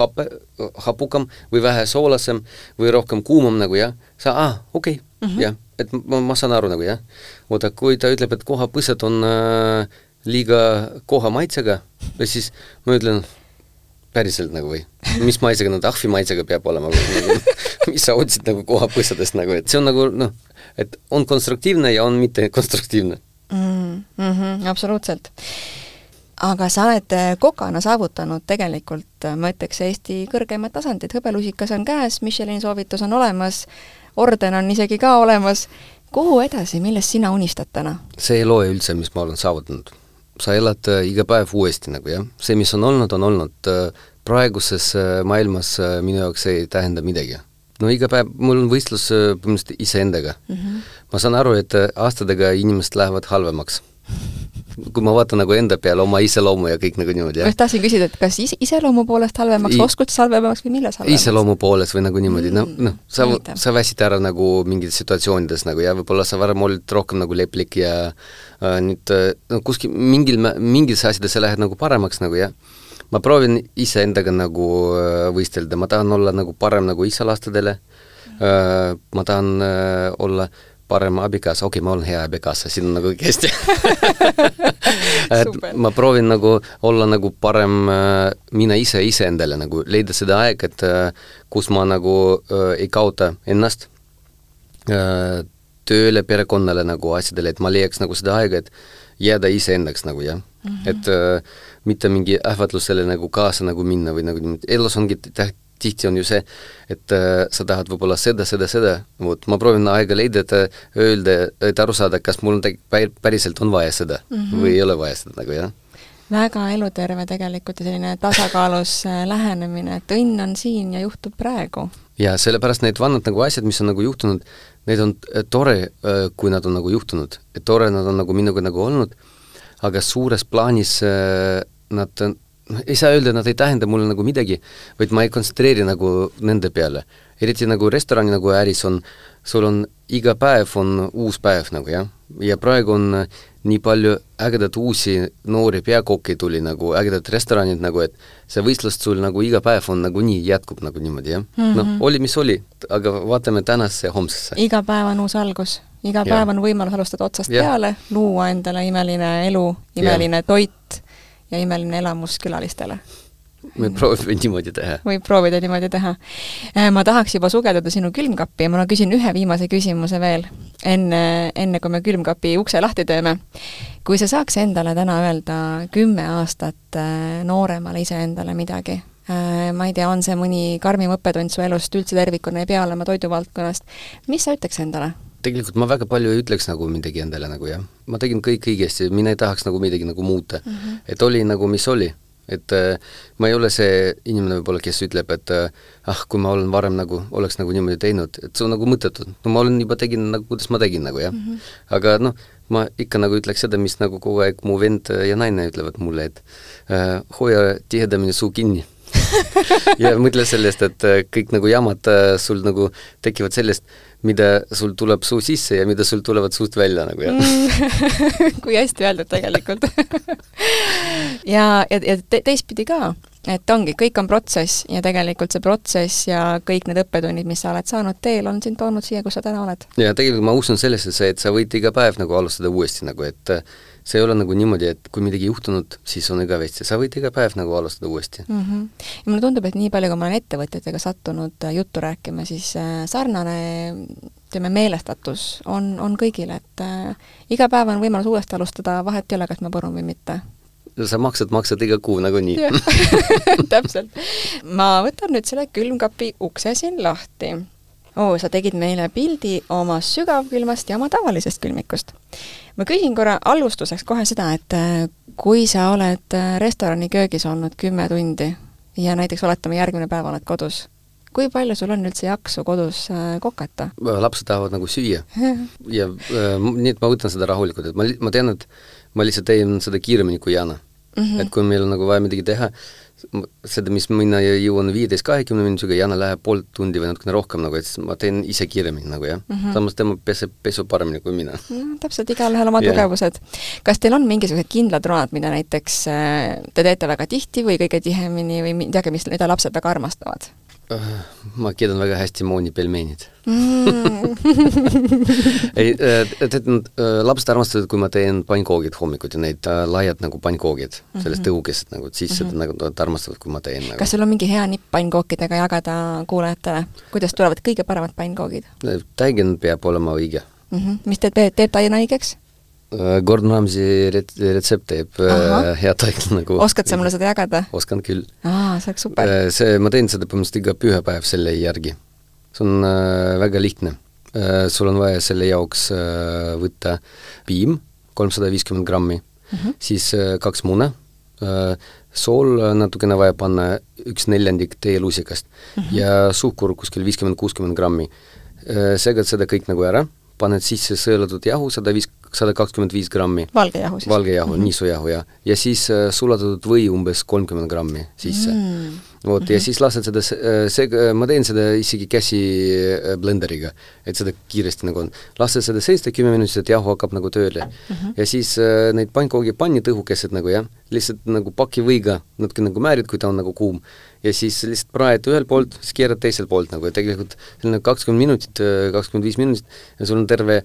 hapukam või vähe soolasem või rohkem kuumam nagu, ja sa, okei, jah, et ma saan aru nagu, jah. Oota, kui ta ütleb, et kohapõsed on liiga koha maitsega, siis ma ütlen, päriselt nagu või, mis maitsega, ahvi maitsega peab olema, mis sa otsid nagu kohapõssadest nagu, et see on nagu, et on konstruktiivne ja on mitte konstruktiivne. Absoluutselt. Aga sa oled kokana saavutanud tegelikult, ma ütleks, Eesti kõrgemad tasandid, hõbelusikas on käes, Michelini soovitus on olemas, orden on isegi ka olemas. Kuhu edasi, millest sina unistad täna? See ei loe üldse, mis ma olen saavutanud. Sa elad iga päev uuesti nagu, jah. See, mis on olnud, praeguses maailmas minu jaoks ei tähenda midagi. Iga päev, mul on võistlus põhimõtteliselt iseendaga. Ma saan aru, et aastadega inimesed lähevad halvemaks. Kui ma vaatan nagu enda peale oma iseloomu ja kõik nagu niimoodi, jah. Ma tahtsin küsida, et kas iseloomu poolest halvemaks, oskustes halvemaks või milles halvemaks? Iseloomu poolest või nagu niimoodi, sa väsid ära nagu mingites situatsioonides nagu ja võib-olla sa varem olid rohkem nagu leplik ja nüüd kuskil mingis asjades sa lähed nagu paremaks nagu, jah. Ma proovin ise endaga nagu võistelda, ma tahan olla nagu parem nagu isa lastadele, ma tahan olla parem abikaasa, ma olen hea abikaasa, siin on nagu hästi. Ma proovin nagu olla nagu parem mina ise endale, nagu leida seda aeg, et kus ma nagu ei kaota ennast tööle, perekonnale nagu asjadele, et ma leiaks nagu seda aega, et jääda ise endaks nagu, jah. Et mitte mingi ähvatlusele nagu kaasa nagu minna või nagu elus ongi tihti on ju see, et sa tahad võib-olla seda. Ma proovin aega leida, et öelda, et aru saada, kas mul päriselt on vaja seda või ei ole vaja seda nagu, jah. Väga eluterve tegelikult ja selline tasakaalus lähenemine, et õnn on siin ja juhtub praegu. Ja sellepärast need vannad nagu asjad, mis on nagu juhtunud, need on tore, kui nad on nagu juhtunud. Et tore nad on nagu minuga nagu olnud, aga suures plaanis nad ei saa öelda, nad ei tähenda mulle nagu midagi, vaid ma ei kontsentreeri nagu nende peale. Eriti nagu restorani nagu äris on, sul on iga päev on uus päev nagu, jah. Ja praegu on nii palju ägedat uusi noori peakokki tuli nagu, ägedat restoranid nagu, et see võistlust sul nagu iga päev on nagu nii jätkub nagu niimoodi, jah. Oli mis oli, aga vaatame tänasesse ja homsesse. Iga päev on uus algus. Iga päev on võimalus alustada otsast peale, luua endale imeline elu, imeline toit ja imeline elamus külalistele. me proovime niimoodi teha. Võib proovida niimoodi teha. Ma tahaks juba sugeldada sinu külmkappi ja ma küsin ühe viimase küsimuse veel, enne kui me külmkapi ukse lahti teeme. Kui sa saaks endale täna öelda 10 aastat nooremale iseendale midagi, ma ei tea, on see mõni karmim õppetund su elust üldse tervikuna, ei pea olema toiduvaldkonnast, mis sa ütleks endale? Tegelikult ma väga palju ei ütleks nagu midagi endale nagu jah. Ma tegin kõik õigesti, mina ei tahaks nagu midagi nagu muuta. Et oli nagu mis oli. Et ma ei ole see inimene võib-olla, kes ütleb, et kui ma olen varem nagu, oleks nagu niimoodi teinud, et see on nagu mõttetud. No ma olen juba tegin nagu, kuidas ma tegin nagu jah. Aga ma ikka nagu ütleks seda, mis nagu kogu aeg mu vend ja naine ütlevad mulle, et hoia tihedamini suu kinni. Ja mõtle sellest, et kõik nagu jamad sul nagu tekivad sellest, mida sul tuleb suu sisse ja mida sul tulevad suust välja nagu jah. Kui hästi öeldud tegelikult. ja teistpidi ka, et ongi, kõik on protsess ja tegelikult see protsess ja kõik need õppetunnid, mis sa oled saanud teel, on sind toonud siia, kus sa täna oled. Ja tegelikult ma usun sellesse, et sa võid iga päev nagu alustada uuesti nagu, et see ei ole nagu niimoodi, et kui midagi juhtunud, siis on igavesti. Sa võid iga päev nagu alustada uuesti. Ja mulle tundub, et nii palju, kui ma olen ettevõtjatega sattunud juttu rääkima, siis sarnane meelestatus on kõigil, et iga päev on võimalus uuesti alustada, vahet ei ole, kas ma põrun või mitte. Sa maksad iga kuu nagu nii. Täpselt. Ma võtan nüüd selle külmkapi ukse siin lahti. Sa tegid meile pildi oma sügavkülmast ja oma tavalisest külmikust. Ma küsin korra alustuseks kohe seda, et kui sa oled restorani köögis olnud 10 tundi ja näiteks oletame järgmine päev oled kodus, kui palju sul on üldse jaksu kodus kokata? Lapsed tahavad nagu süüa ja nii, et ma võtan seda rahulikult, et ma tean, et ma lihtsalt teen seda kiiremini kui Jana. Et kui meil on nagu vaja midagi teha, seda, mis mina jõuan 15-20 minutiga, Jana läheb pool tundi või natukene rohkem, nagu, et ma teen ise kiiremini nagu, jah. Samas tema pesu paremini kui mina. Täpselt, igal ühel oma tugevused. Kas teil on mingisugused kindlad road, mida näiteks te teete väga tihti või kõige tihemini või midagi, mida lapsed väga armastavad? Ma keedan väga hästi mooni pelmeenid. Lapsed armastavad, kui ma teen pannkoogid hommikut ja neid laiad nagu pannkoogid, sellest õukesed nagu, siis seda nagu armastavad, kui ma teen. Kas sul on mingi hea nipp pannkookidega jagada kuulajatele? Kuidas tulevad kõige paremad pannkoogid? Täigen peab olema õige. Mis teeb taina õigeks? Gordon Ramsay retsept teeb hea taik nagu. Oskad sa mulle seda jagada? Oskan küll. See oleks super. Ma teen seda põhimõtteliselt iga pühapäev selle järgi. See on väga lihtne. Sul on vaja selle jaoks võtta piim, 350 grammi, siis 2 muna, sool natukene vaja panna 1/4 teelusikast ja suhkur kuskil 50-60 grammi. Segad seda kõik nagu ära, paned sisse sõelatud jahu 125 grammi. Valgejahu siis? Valgejahu, niisujahu, ja. Ja siis sulatatud või umbes 30 grammi sisse. Ja siis lased seda, ma teen seda isegi käsi blenderiga, et seda kiiresti nagu on. Lased seda 10 minutit, et jahu hakkab nagu tööle. Ja siis neid pannkoogi pannid õhukesed nagu, jah, lihtsalt nagu paki võiga natuke nagu määrid, kui ta on nagu kuum. Ja siis lihtsalt praed ühel poolt, siis keerad teisel poolt nagu, ja tegelikult 20 minutit, 25 minutit ja sul on terve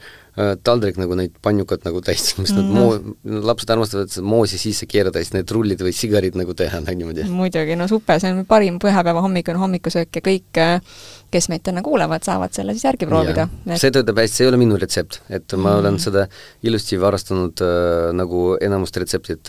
taldrik nagu neid panjukat nagu täis, mis lapsed armastavad moosi sisse keerada, siis need rullid või sigarid nagu teha niimoodi. Muidugi, no super, see on parim pühapäeva hommikusöök ja kõik, kes meid täna kuulevad, saavad selle siis järgi proovida. See töötab hästi, see ei ole minu retsept, et ma olen seda ilusti varastanud nagu enamust retseptit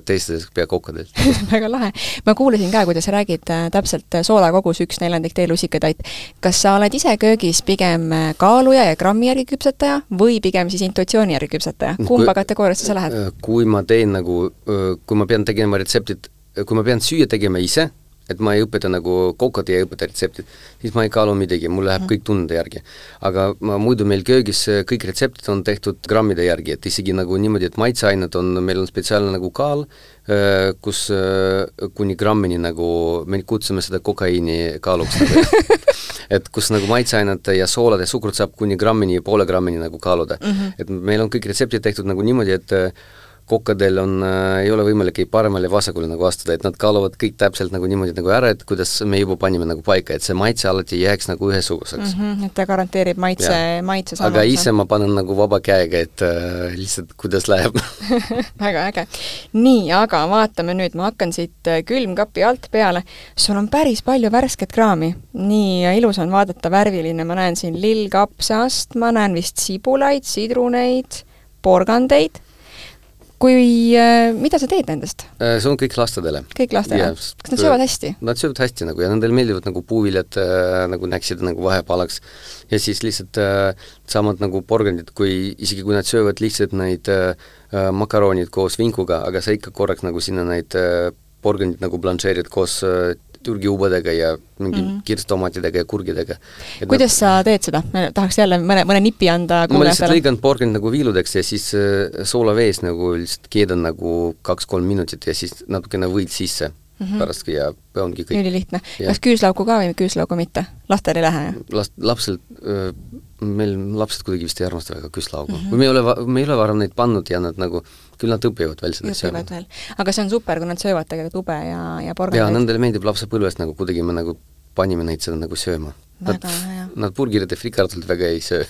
teistest peakokkadelt. Väga lahe. Ma kuulesin ka, kuidas räägid täpselt soolakogus 1/4 teelusikatäit. Kas sa oled ise köögis pigem kaaluja ja grammi järgi küpsetaja või pigem siis intuitsiooni järgi küpsetaja? Kumba kategooriasse sa lähed? Kui ma teen nagu, kui ma pean tegema retseptit, kui ma pean süüa tegema ise, et ma ei õpeta nagu kokad ja ei õpeta retseptid, siis ma ei kaalu midagi, mul läheb kõik tunde järgi. Aga muidu meil köögis kõik retseptid on tehtud grammide järgi, et isegi nagu niimoodi, et maitseained on, meil on spetsiaalne nagu kaal, kus kuni grammini nagu, me kutsume seda kokaiini kaaluks nagu, et kus nagu maitseained ja soolad ja sukrut saab kuni grammini ja poole grammini nagu kaaluda. Et meil on kõik retseptid tehtud nagu niimoodi, et kokkadel ei ole võimalik ei paremale vasakule nagu astuda, et nad kaaluvad kõik täpselt nagu niimoodi nagu ära, et kuidas me juba panime nagu paika, et see maitse alati jääks nagu ühesuguseks. Et ta garanteerib maitse samaks. Aga ise ma panen nagu vaba käega, et lihtsalt kuidas läheb. Väga äge. Nii, aga vaatame nüüd, ma hakkan siit külmkapi alt peale. Sul on päris palju värsket kraami. Nii ilus on vaadata, värviline, ma näen siin lillkapsast, ma näen vist sibulaid, sidruneid, porgandeid. Mida sa teed nendest? See on kõik lastadele. Kõik lastele? Kas nad söövad hästi? Nad söövad hästi nagu ja nendel meeldivad nagu puuviljad nagu näksid nagu vahepalaks ja siis lihtsalt samad nagu porgandid, isegi kui nad söövad lihtsalt neid makaronid koos vinkuga, aga sa ikka korraks nagu sinna neid porgandid nagu blanšeerid koos türgiubadega ja mingi kirstomatidega ja kurgidega. Kuidas sa teed seda? Me tahaks jälle mõne nipi anda kuulajatele. Ma lihtsalt lõigan porgand nagu viiludeks ja siis soolavees nagu lihtsalt keedan nagu 2-3 minutit ja siis natukene võid sisse pärast ja ongi kõik. Ülilihtne. Kas küüslauku ka või küüslauku mitte? Lastel ei lähe? Meil lapsed kuidagi vist ei armasta väga küüslaugu. Me ei ole varem neid pannud ja nad nagu küll nad õpivad veel seda sööma. Aga see on super, kui nad söövad tegelikult ube ja porgandeid. Ja nendele meeldib lapsepõlvest nagu kuidagi me nagu panime neid seda nagu sööma. Nad burgerid ja frikartult väga ei söö.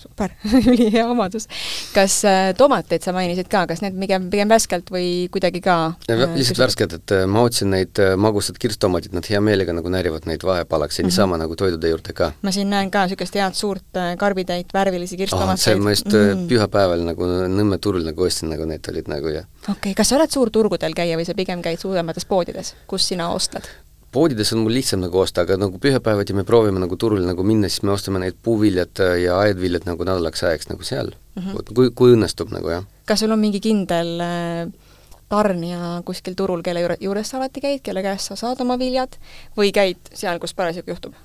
Super, üli hea omadus. Kas tomateid sa mainisid ka, kas need pigem värskelt või kuidagi ka? Lihtsalt värskelt, et ma otsin neid magusad kirstomatid, nad hea meelega nagu närivad neid vahepalaks ja niisama nagu toidude juurde ka. Ma siin näen ka niisugust head suurt karbitäit, värvilisi kirstomateid. See ma just pühapäeval nagu Nõmme turul nagu ostsin, nagu need olid nagu ja. Okei, kas sa oled suur turgudel käia või sa pigem käid suuremates poodides, kus sina ostad? Poodides on mul lihtsam nagu osta, aga nagu pühapäevad ja me proovime nagu turul nagu minna, siis me ostame neid puuviljad ja aedviljad nagu nädalaks ajaks nagu seal, kui õnnestub nagu, jah. Kas sul on mingi kindel tarnija kuskil turul, kelle juures sa alati käid, kelle käest sa saad oma viljad või käid seal, kus parasjagu juhtub?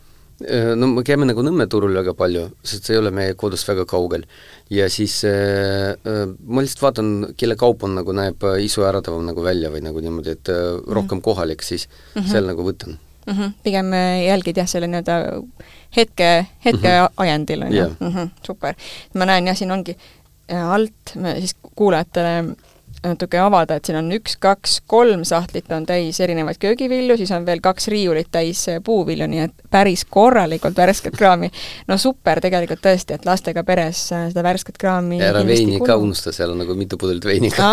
No me käime nagu Nõmme turul väga palju, sest see ei ole meie kodust väga kaugel. Ja siis ma lihtsalt vaatan, kelle kaup on nagu näeb isu äratavam nagu välja või nagu niimoodi, et rohkem kohalik, siis seal nagu võtan. Pigem jälgid jah selle nii-öelda hetke ajendil on jah. Super. Ma näen jah, siin ongi alt, siis kuulajatele natuke avada, et siin on 1, 2, 3 sahtlit on täis erinevaid köögivilju, siis on veel 2 riiulit täis puuvilju, nii et päris korralikult värsket kraami. No super tegelikult tõesti, et lastega peres seda värsket kraami ära veini ka unusta, seal on nagu mitu pudelit veiniga.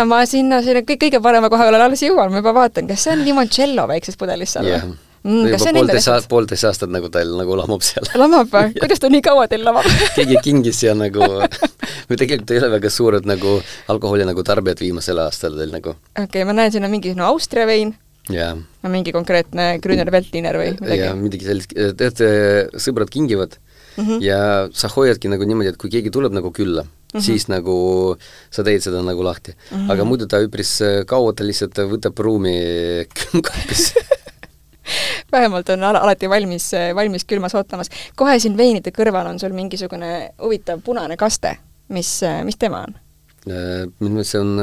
Ma sinna kõige parema koha peale alles jõuan, ma juba vaatan, kas see on limoncello väikses pudelis seal? Yeah. Juba poolteist aastat nagu teil nagu lamab seal. Lamab või? Kuidas ta nii kaua teil lamab? Keegi kingis ja nagu me tegelikult ei ole väga suured nagu alkoholi nagu tarbijad viimasel aastal teil nagu. Okei, ma näen, siin on mingi Austria vein. Ja. Mingi konkreetne Grüner Veltliner või midagi. Ja midagi sellist, sõbrad kingivad ja sa hoiadki nagu niimoodi, et kui keegi tuleb nagu külla, siis nagu sa teed seda nagu lahti. Aga muidu ta üpris kaua ta lihtsalt võtab ruumi külmkapis. Vähemalt on alati valmis külmas ootamas. Kohe siin veinide kõrval on sul mingisugune huvitav punane kaste. Mis tema on? Minu see on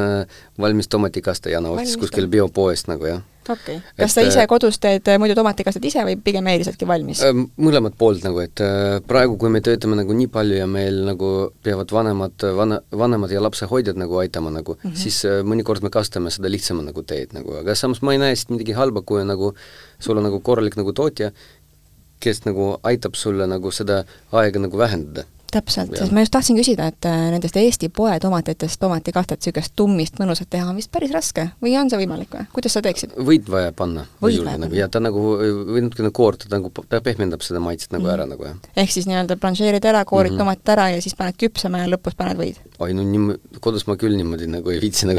valmis tomatikaste ja ostis kuskil biopoest nagu, jah. Okei. Kas sa ise kodus teed muidu tomatikasted ise või pigem eelisadki valmis? Mõlemad poolt nagu, et praegu, kui me töötame nagu nii palju ja meil nagu peavad vanemad ja lapsehoidjad nagu aitama nagu, siis mõnikord me kastame seda lihtsama nagu teed nagu, aga samas ma ei näe siit midagi halba, kui nagu sul on nagu korralik nagu tootja, kes nagu aitab sulle nagu seda aega nagu vähendada. Täpselt, sest ma just tahtsin küsida, et nendest Eesti poe tomatitest tomatikastet niisugust tummist mõnusat teha on vist päris raske või on see võimalik või? Kuidas sa teeksid? Võid vaja panna. Nagu, ja ta nagu, või natukene koorta, ta pehmendab seda maitset nagu ära nagu, jah. Ehk siis nii-öelda blanšeerid ära, koorid tomatit ära ja siis paned küpsama ja lõpus paned võid? Oi, no kodus ma küll niimoodi nagu ei viitsi nagu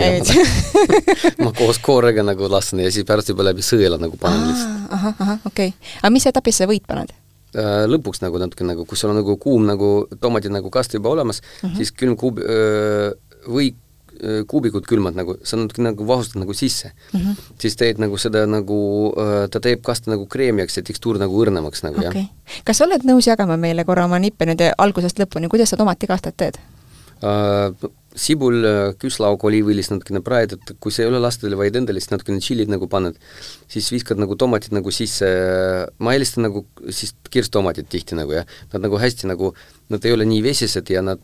ma koos koorega nagu lasen ja siis pärast juba läbi sõela nagu panen lihtsalt. Okei. Aga mis etapis sa võid paned? Lõpuks nagu natuke nagu, kui sul on nagu kuum nagu tomatid nagu kast juba olemas, siis külm või kuubikud külmad nagu, sa natuke nagu vahustad nagu sisse. Siis teed nagu seda nagu, ta teeb kasta nagu kreemiaks ja tekstuur nagu õrnemaks nagu, jah. Kas oled nõus jagama meile korra oma nippe nüüd algusest lõpuni, kuidas sa tomatikastet teed? sibul, küslauk, oliiviõlis natukene praedud, kui see ei ole lastele, vaid endale, siis natukene tšillid nagu paned, siis viskad nagu tomatid nagu sisse, ma eelistan nagu siis kirstomatid tihti nagu, jah, nad nagu hästi nagu, nad ei ole nii vesised ja nad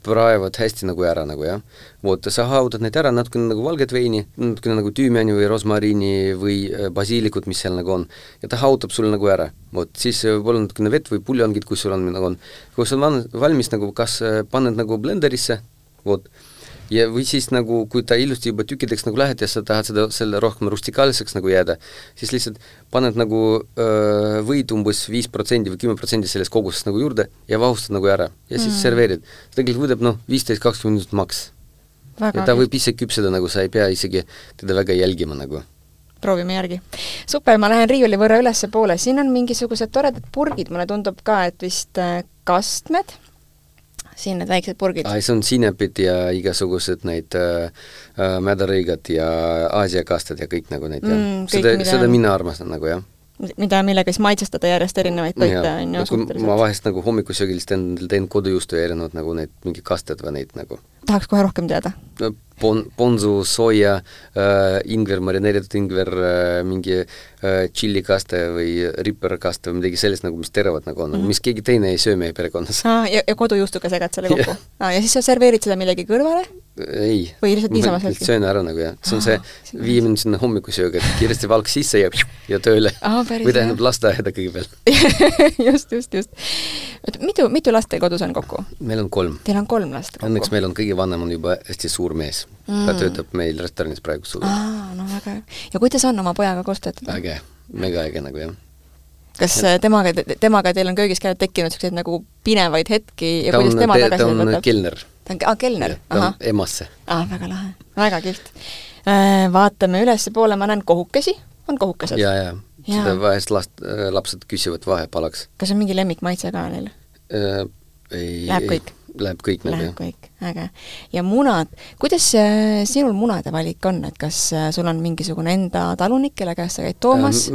praevad hästi nagu ära nagu, jah. Vot, sa haudad neid ära, natukene nagu valget veini, natukene nagu tüümiani või rosmariini või basiilikut, mis seal nagu on, ja ta haudab sul nagu ära. Vot, siis võib-olla natukene vett või puljongid, kui sul on nagu on. Kui sul on valmis nagu, kas paned nagu blenderisse, vot, ja või siis nagu, kui ta ilusti juba tükkideks nagu lähed ja sa tahad selle rohkem rustikaalseks nagu jääda, siis lihtsalt paned nagu võid umbes 5% või 10% sellest kogusest nagu juurde ja vahustad nagu ära ja siis serveerid. Tegelikult võidab 15-20 minutit maks. Väga ja ta võib ise küpseda, nagu sa ei pea isegi teda väga jälgima nagu. Proovime järgi. Super, ma lähen riiuli võrra ülesse poole. Siin on mingisugused toredad purgid, mulle tundub ka, et vist kastmed. Siin need väiksed purgid. See on sinepid ja igasugused neid mädarõigad ja Aasia kastad ja kõik nagu neid. Seda mina armastan nagu, jah. Millega siis maitsestada järjest erinevaid toite. Ma vahest nagu hommikusöögilist teen kodujuustu ja erinevad nagu neid mingi kasted või neid nagu. Tahaks kohe rohkem teada? Ponzu, soja, ingver, marineeritud ingver, mingi tšillikaste või ripperkaste või midagi sellist, nagu, mis teravad nagu on, mis keegi teine ei söö meie perekonnas. Ja kodujuustuga segad selle kokku? Ja siis sa serveerid seda millegi kõrvale? Ei. Või lihtsalt niisama selgi? Söön ära nagu, jah. See on see 5 minutit hommikusööga, et kiiresti valk sisse ja tööle. Või tähendab lasteaeda kõigepealt. Just. Mitu last teil kodus on kokku? Meil on 3. Teil on 3 last kokku? Õnneks meil on kõige vanem on juba hästi suur mees. Ta töötab meil restoranis praegu suur. No väga. Ja kuidas on oma pojaga koos töötada? Äge, mega äge nagu, jah. Kas temaga teil on köögis käinud tekkinud selliseid nagu pinevaid hetki ja kuidas tema tagasi võtab? Ta on kelner. Kelner? Ta on emasse. Väga lahe. Väga kilt. Vaatame ülesse poole, ma näen kohukesi. On kohukesed? Ja. Seda vahest lapsed küsivad vahepalaks. Kas on mingi lemmikmaitse ka neil? Läheb kõik? Läheb kõik. Läheb kõik, äge. Ja munad, kuidas sinul munade valik on, et kas sul on mingisugune enda talunik, kelle käest sa käid toomas?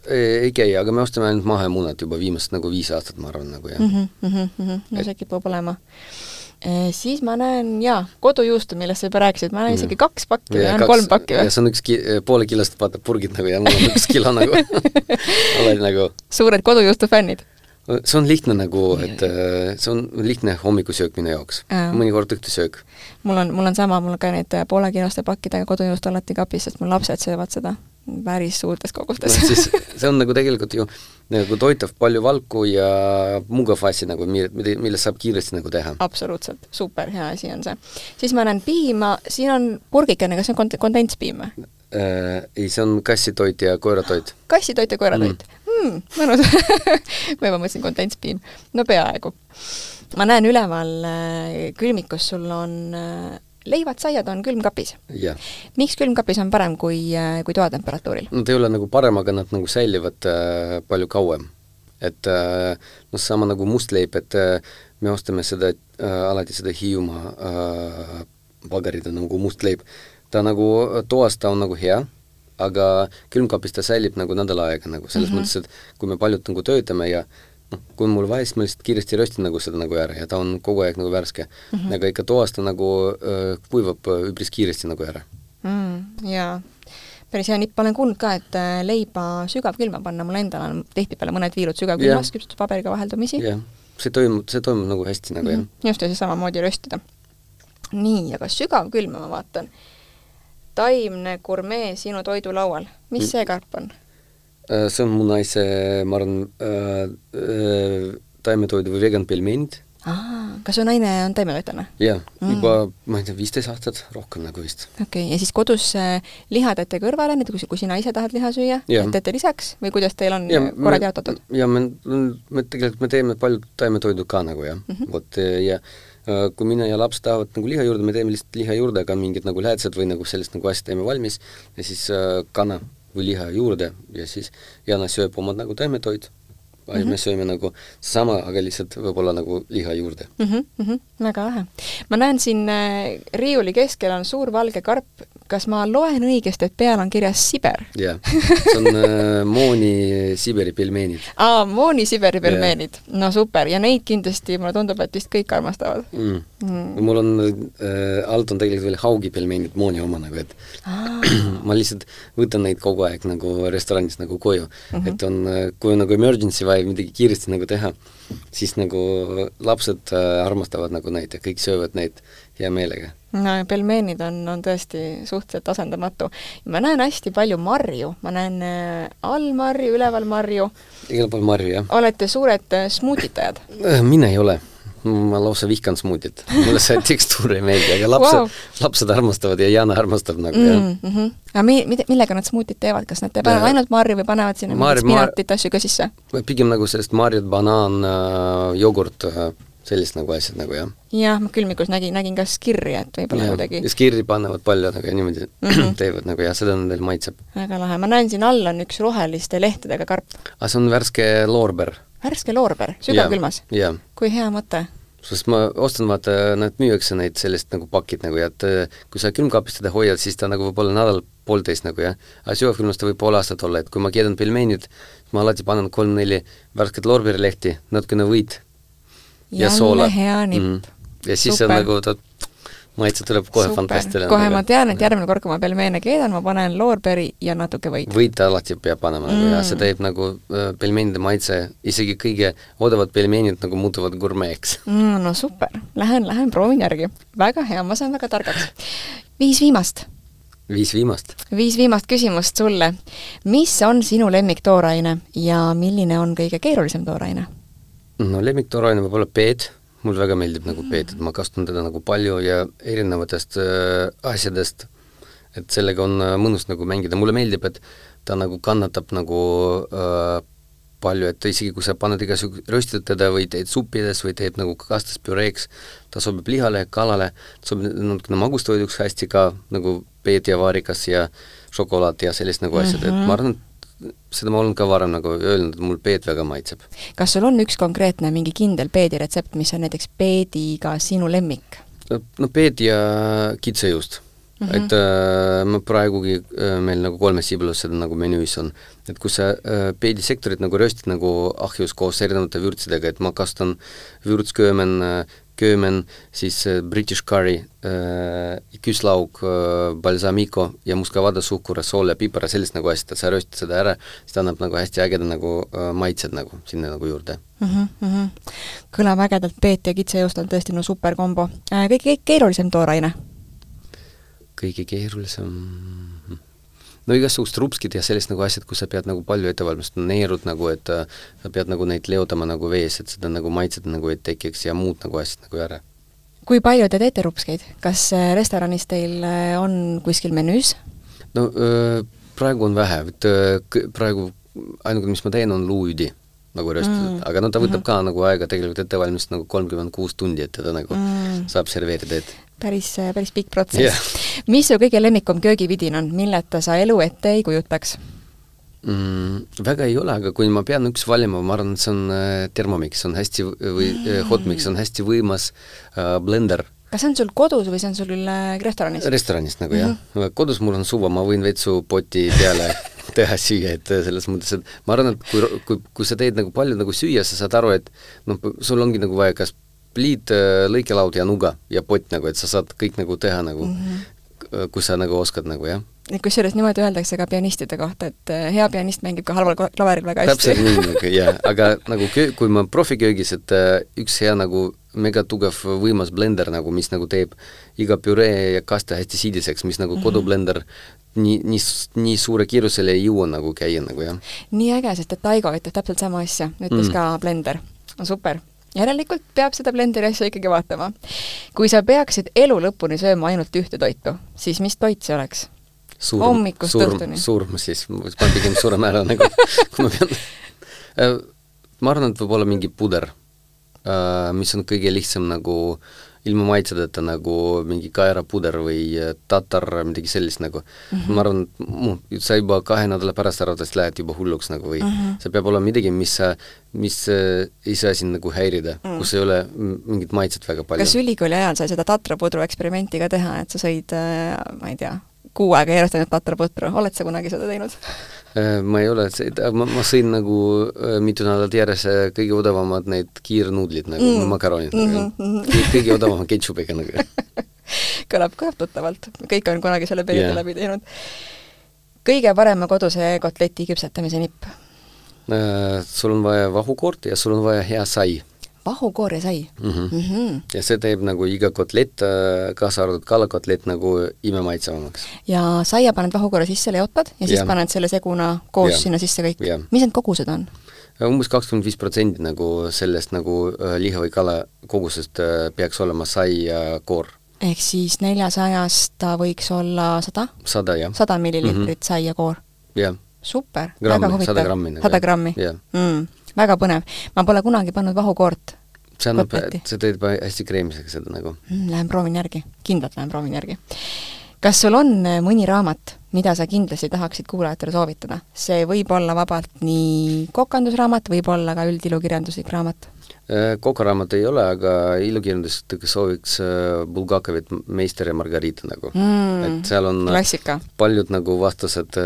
Ei käi, aga me ostame ainult mahemunad juba viimast nagu 5 aastat, ma arvan, nagu, jah. No see kipub olema. Siis ma näen, kodujuustu, millest sa juba rääkisid, ma näen isegi 2 pakki või 3 pakki või? Ja see on 1 poole kilost purgid nagu ja mul on 1 kilo nagu. Oled nagu. Suured kodujuustu fännid? See on lihtne nagu, et see on lihtne hommikusöök minu jaoks. Mõnikord õhtusöök. Mul on sama, mul on ka need poole kiloste pakkidega kodujuust alati kapis, sest mul lapsed söövad seda päris suurtes kogustes. See on nagu tegelikult ju nagu toitav palju valku ja mugav asi, nagu, mille saab kiiresti nagu teha. Absoluutselt, super, hea asi on see. Siis ma näen piima, siin on purgikene, kas see on kondentspiim? Ei, see on kassitoit ja koeratoit. Kassitoit ja koeratoit? Mõnus. Ma juba mõtlesin kondentspiim. No peaaegu. Ma näen üleval külmikus sul on leivad, saiad on külmkapis. Ja. Miks külmkapis on parem kui toatemperatuuril? Nad ei ole nagu parem, aga nad nagu säilivad palju kauem. Et sama nagu mustleib, et me ostame seda alati seda Hiiumaa pagarida nagu mustleib. Ta nagu toas ta on nagu hea, aga külmkapis ta säilib nagu nädal aega nagu selles mõttes, et kui me paljud nagu töötame ja kui mul vaja, siis ma lihtsalt kiiresti röstin nagu seda nagu ära ja ta on kogu aeg nagu värske. Aga ikka toas ta nagu kuivab üpris kiiresti nagu ära. Jaa. Päris hea nipp, olen kuulnud ka, et leiba sügavkülma panna, mul endal on tihtipeale mõned viilud sügavkülmas, küpsutuspaberiga vaheldumisi. Jah, see toimub nagu hästi nagu, jah. Just ja see samamoodi röstida. Nii, aga sügavkülma ma vaatan. Taimne gurmee sinu toidulaual. Mis see karp on? See on mu naise, ma arvan, taimetoidu või vegan pelmenid. Kas su naine on taimetoitane? Jah, juba, ma ei tea, 15 aastat rohkem nagu vist. Okei, ja siis kodus liha teete kõrvale, nüüd kui sina ise tahad liha süüa, teete lisaks või kuidas teil on korrad jaotatud? Ja me tegelikult me teeme palju taimetoidu ka nagu, jah. Ja kui mina ja laps tahavad nagu liha juurde, me teeme lihtsalt liha juurde, aga mingid nagu läätsed või nagu sellist nagu asja teeme valmis ja siis kana või liha juurde ja siis Jana sööb omad nagu taimetoid. Me sööme nagu sama, aga lihtsalt võib-olla nagu liha juurde. Väga lahe. Ma näen siin riiuli keskel on suur valge karp. kas ma loen õigesti, et peal on kirjas Siber? Jah, see on Mooni Siberi pelmeenid. Mooni Siberi pelmeenid. No super, ja neid kindlasti, mulle tundub, et vist kõik armastavad. Mul on, alt on tegelikult veel Haugi pelmeenid Mooni oma, nagu, et ma lihtsalt võtan neid kogu aeg nagu restoranis nagu koju. Et on, kui on nagu emergency vaja midagi kiiresti nagu teha, siis nagu lapsed armastavad nagu neid ja kõik söövad neid hea meelega. No, pelmeenid on tõesti suhteliselt asendamatu. Ma näen hästi palju marju. Ma näen all marju, üleval marju. Igal pool marju, jah. Olete suured smuutitajad? Mina ei ole. Ma lausa vihkan smuutit. Mulle see tekstuur ei meeldi, aga lapsed armastavad ja Jana armastab nagu, jah. Aga millega nad smuutit teevad? Kas nad panevad ainult marju või panevad sinna spinatit asju ka sisse? Pigem nagu sellest marjad, banaan, jogurt, sellist nagu asjad nagu, jah. Jah, ma külmikus nägin ka skirri, et võib-olla kuidagi. Ja skirri panevad palju nagu ja niimoodi teevad nagu ja seda nendel maitseb. Väga lahe. Ma näen siin all on üks roheliste lehtedega karp. Aga see on värske loorber. Värske loorber? Sügavkülmas? Jah. Kui hea mõte? Sest ma ostan, vaata, nad müüakse neid sellist nagu pakid nagu ja et kui sa külmkaapis teda hoiad, siis ta nagu võib olla nädal poolteist nagu, jah. Aga sügavkülmas ta võib pool aastat olla, et kui ma keedan pelmeenid, ma alati panen 3-4 värsket loorberilehti, natukene võit ja soola. Hea nipp. Ja siis on nagu ta maitse tuleb kohe fantastiline. Kohe ma tean, et järgmine kord, kui ma pelmeene keedan, ma panen loorberi ja natuke võit. Võit alati peab panema nagu, ja see teeb nagu pelmeenide maitse, isegi kõige odavad pelmeenid nagu muutuvad gurmeeks. No super, lähen proovin järgi. Väga hea, ma saan väga targaks. 5 viimast. 5 viimast. 5 viimast küsimust sulle. Mis on sinu lemmiktooraine ja milline on kõige keerulisem tooraine? No lemmiktooraine võib olla peed. Mul väga meeldib nagu peed, et ma kasutan teda nagu palju ja erinevatest asjadest, et sellega on mõnus nagu mängida. Mulle meeldib, et ta nagu kannatab nagu palju, et isegi kui sa paned igasugune röstid teda või teed suppides või teed nagu kastas püreeks, ta sobib lihale, kalale, ta sobib natukene magustoiduks hästi ka nagu peed ja vaarikas ja šokolaad ja sellist nagu asjad, et ma arvan, seda ma olen ka varem nagu öelnud, et mul peed väga maitseb. Kas sul on üks konkreetne mingi kindel peedi retsept, mis on näiteks peediga sinu lemmik? No peed ja kitsejuust. Et ma praegugi meil nagu 3 sibulus seda nagu menüüs on. Et kui sa peedisektorit nagu röstid nagu ahjus koos erinevate vürtsidega, et ma kasutan vürtsköömen, siis British curry, küslauk, balsamico ja muskavada, suhkur, sool ja pipar ja sellist nagu asjad, et sa röstid seda ära, siis ta annab nagu hästi ägeda nagu maitsed nagu sinna nagu juurde. Kõlab ägedalt, peet ja kitsejuust on tõesti no super kombo. Kõige keerulisem tooraine? Kõige keerulisem... No igasugust rupskid ja sellist nagu asjad, kus sa pead nagu palju ettevalmistama, neerud nagu, et sa pead nagu neid leotama nagu vees, et seda nagu maitsed nagu ei tekiks ja muud nagu asjad nagu ära. Kui palju te teete rupskeid? Kas restoranis teil on kuskil menüüs? No praegu on vähe, praegu ainuke, mis ma teen, on luuüdi nagu röstitud, aga no ta võtab ka nagu aega tegelikult ettevalmist nagu 36 tundi, et teda nagu saab serveerida, et päris pikk protsess. Mis su kõige lemmikum köögividin on? Milleta sa elu ette ei kujutaks? Väga ei ole, aga kui ma pean üks valima, ma arvan, et see on Thermomix, on hästi, või Hotmix on hästi võimas blender. Kas see on sul kodus või see on sul restoranis? Restoranis nagu, jah. Kodus mul on suva, ma võin vetsu poti peale teha süüa, et selles mõttes, et ma arvan, et kui sa teed nagu palju nagu süüa, sa saad aru, et no, sul ongi nagu vaja kas pliit, lõikelaud ja nuga ja pott nagu, et sa saad kõik nagu teha nagu, kui sa nagu oskad nagu, jah. Kus selles niimoodi öeldakse ka pianistide kohta, et hea pianist mängib ka halval klaveril väga hästi. Täpselt nii nagu, jah, aga nagu kui ma profiköögis, et üks hea nagu mega tugev võimas blender nagu, mis nagu teeb iga püree ja kaste hästi siidiseks, mis nagu kodublender nii suure kiirusele ei jõua nagu käia nagu, jah. Nii äge, sest et Taigo ütleb täpselt sama asja, ütles ka blender. Super. Järelikult peab seda blenderi asja ikkagi vaatama. Kui sa peaksid elu lõpuni sööma ainult ühte toitu, siis mis toit see oleks? Hommikust õhtuni. Surm siis, ma pigem surem ära nagu, kui ma pean. Ma arvan, et võib olla mingi puder, mis on kõige lihtsam nagu ilma maitsedeta nagu mingi kaerapuder või tatar, midagi sellist nagu. Ma arvan, et sa juba 2 nädala pärast arvatavasti lähed juba hulluks nagu või see peab olla midagi, mis ei saa siin nagu häirida, kus ei ole mingit maitset väga palju. Kas ülikooli ajal sai seda tatrapudru eksperimenti ka teha, et sa sõid, ma ei tea, kuu aega järjestanud patraputru, oled sa kunagi seda teinud? Ma ei ole, ma sõin nagu mitu nädalat järjest kõige odavamad need kiirnuudlid, nagu makaronid. Kõige odavama ketšupiga nagu. Kõlab tuttavalt. Kõik on kunagi selle perioodi läbi teinud. Kõige parema koduse kotleti küpsetamise nipp? Sul on vaja vahukoort ja sul on vaja hea sai. Vahukoor ja sai? Ja see teeb nagu iga kotlet, kaasa arvatud kalakotlet nagu imemaitsevamaks. Ja saia paned vahukoore sisse, leotad ja siis paned selle seguna koos sinna sisse kõik. Mis need kogused on? Umbes 25% nagu sellest nagu liha või kala kogusest peaks olema sai ja koor. Ehk siis 400 ta võiks olla 100? 100, jah. 100 millilitrit sai ja koor? Jah. Super, väga huvitav. 100 grammi. 100 grammi. Väga põnev. Ma pole kunagi pannud vahukoort kotleti. See teed hästi kreemisega seda nagu. Lähen proovin järgi. Kindlalt lähen proovin järgi. Kas sul on mõni raamat, mida sa kindlasti tahaksid kuulajatele soovitada? See võib olla vabalt nii kokandusraamat, võib olla ka üldilukirjanduslik raamat. Kokaraamat ei ole, aga ilukirjandust sooviks Bulgakovit Meister ja Margarita nagu. Et seal on klassika. Paljud nagu vastused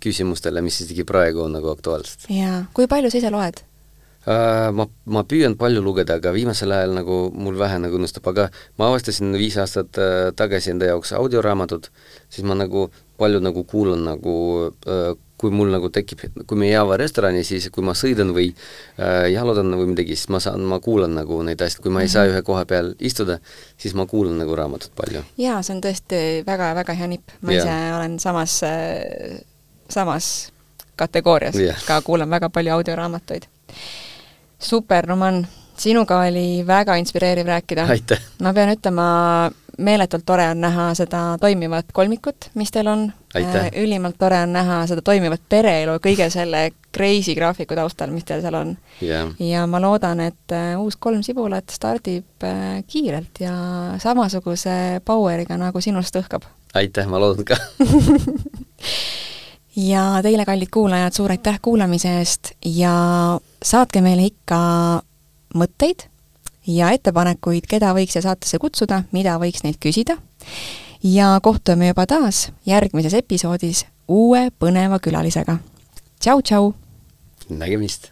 küsimustele, mis isegi praegu on nagu aktuaalsed. Jaa. Kui palju sa ise loed? Ma püüan palju lugeda, aga viimasel ajal nagu mul vähe nagu õnnestub, aga ma avastasin 5 aastat tagasi enda jaoks audioraamatut, siis ma nagu palju nagu kuulan nagu, kui mul nagu tekib, kui me jääva restorani, siis kui ma sõidan või jalutan või midagi, siis ma kuulan nagu neid asjad, kui ma ei saa ühe koha peal istuda, siis ma kuulan nagu raamatut palju. Jaa, see on tõesti väga hea nipp. Ma ise olen samas kategoorias, ka kuulan väga palju audioraamatuid. Super, Roman, sinuga oli väga inspireeriv rääkida. Aitäh! Ma pean ütlema, meeletult tore on näha seda toimivat kolmikut, mis teil on. Ülimalt tore on näha seda toimivat pereelu kõige selle crazy graafiku taustal, mis teil seal on. Ja ma loodan, et uus 3 sibulat stardib kiirelt ja samasuguse poweriga, nagu sinust õhkab. Aitäh, ma loodan ka! Ja teile, kallid kuulajad, suur aitäh kuulamise eest ja saatke meile ikka mõtteid ja ettepanekuid, keda võiks saatesse kutsuda, mida võiks neilt küsida. Ja kohtume juba taas järgmises episoodis uue põneva külalisega. Tšau! Nägemist!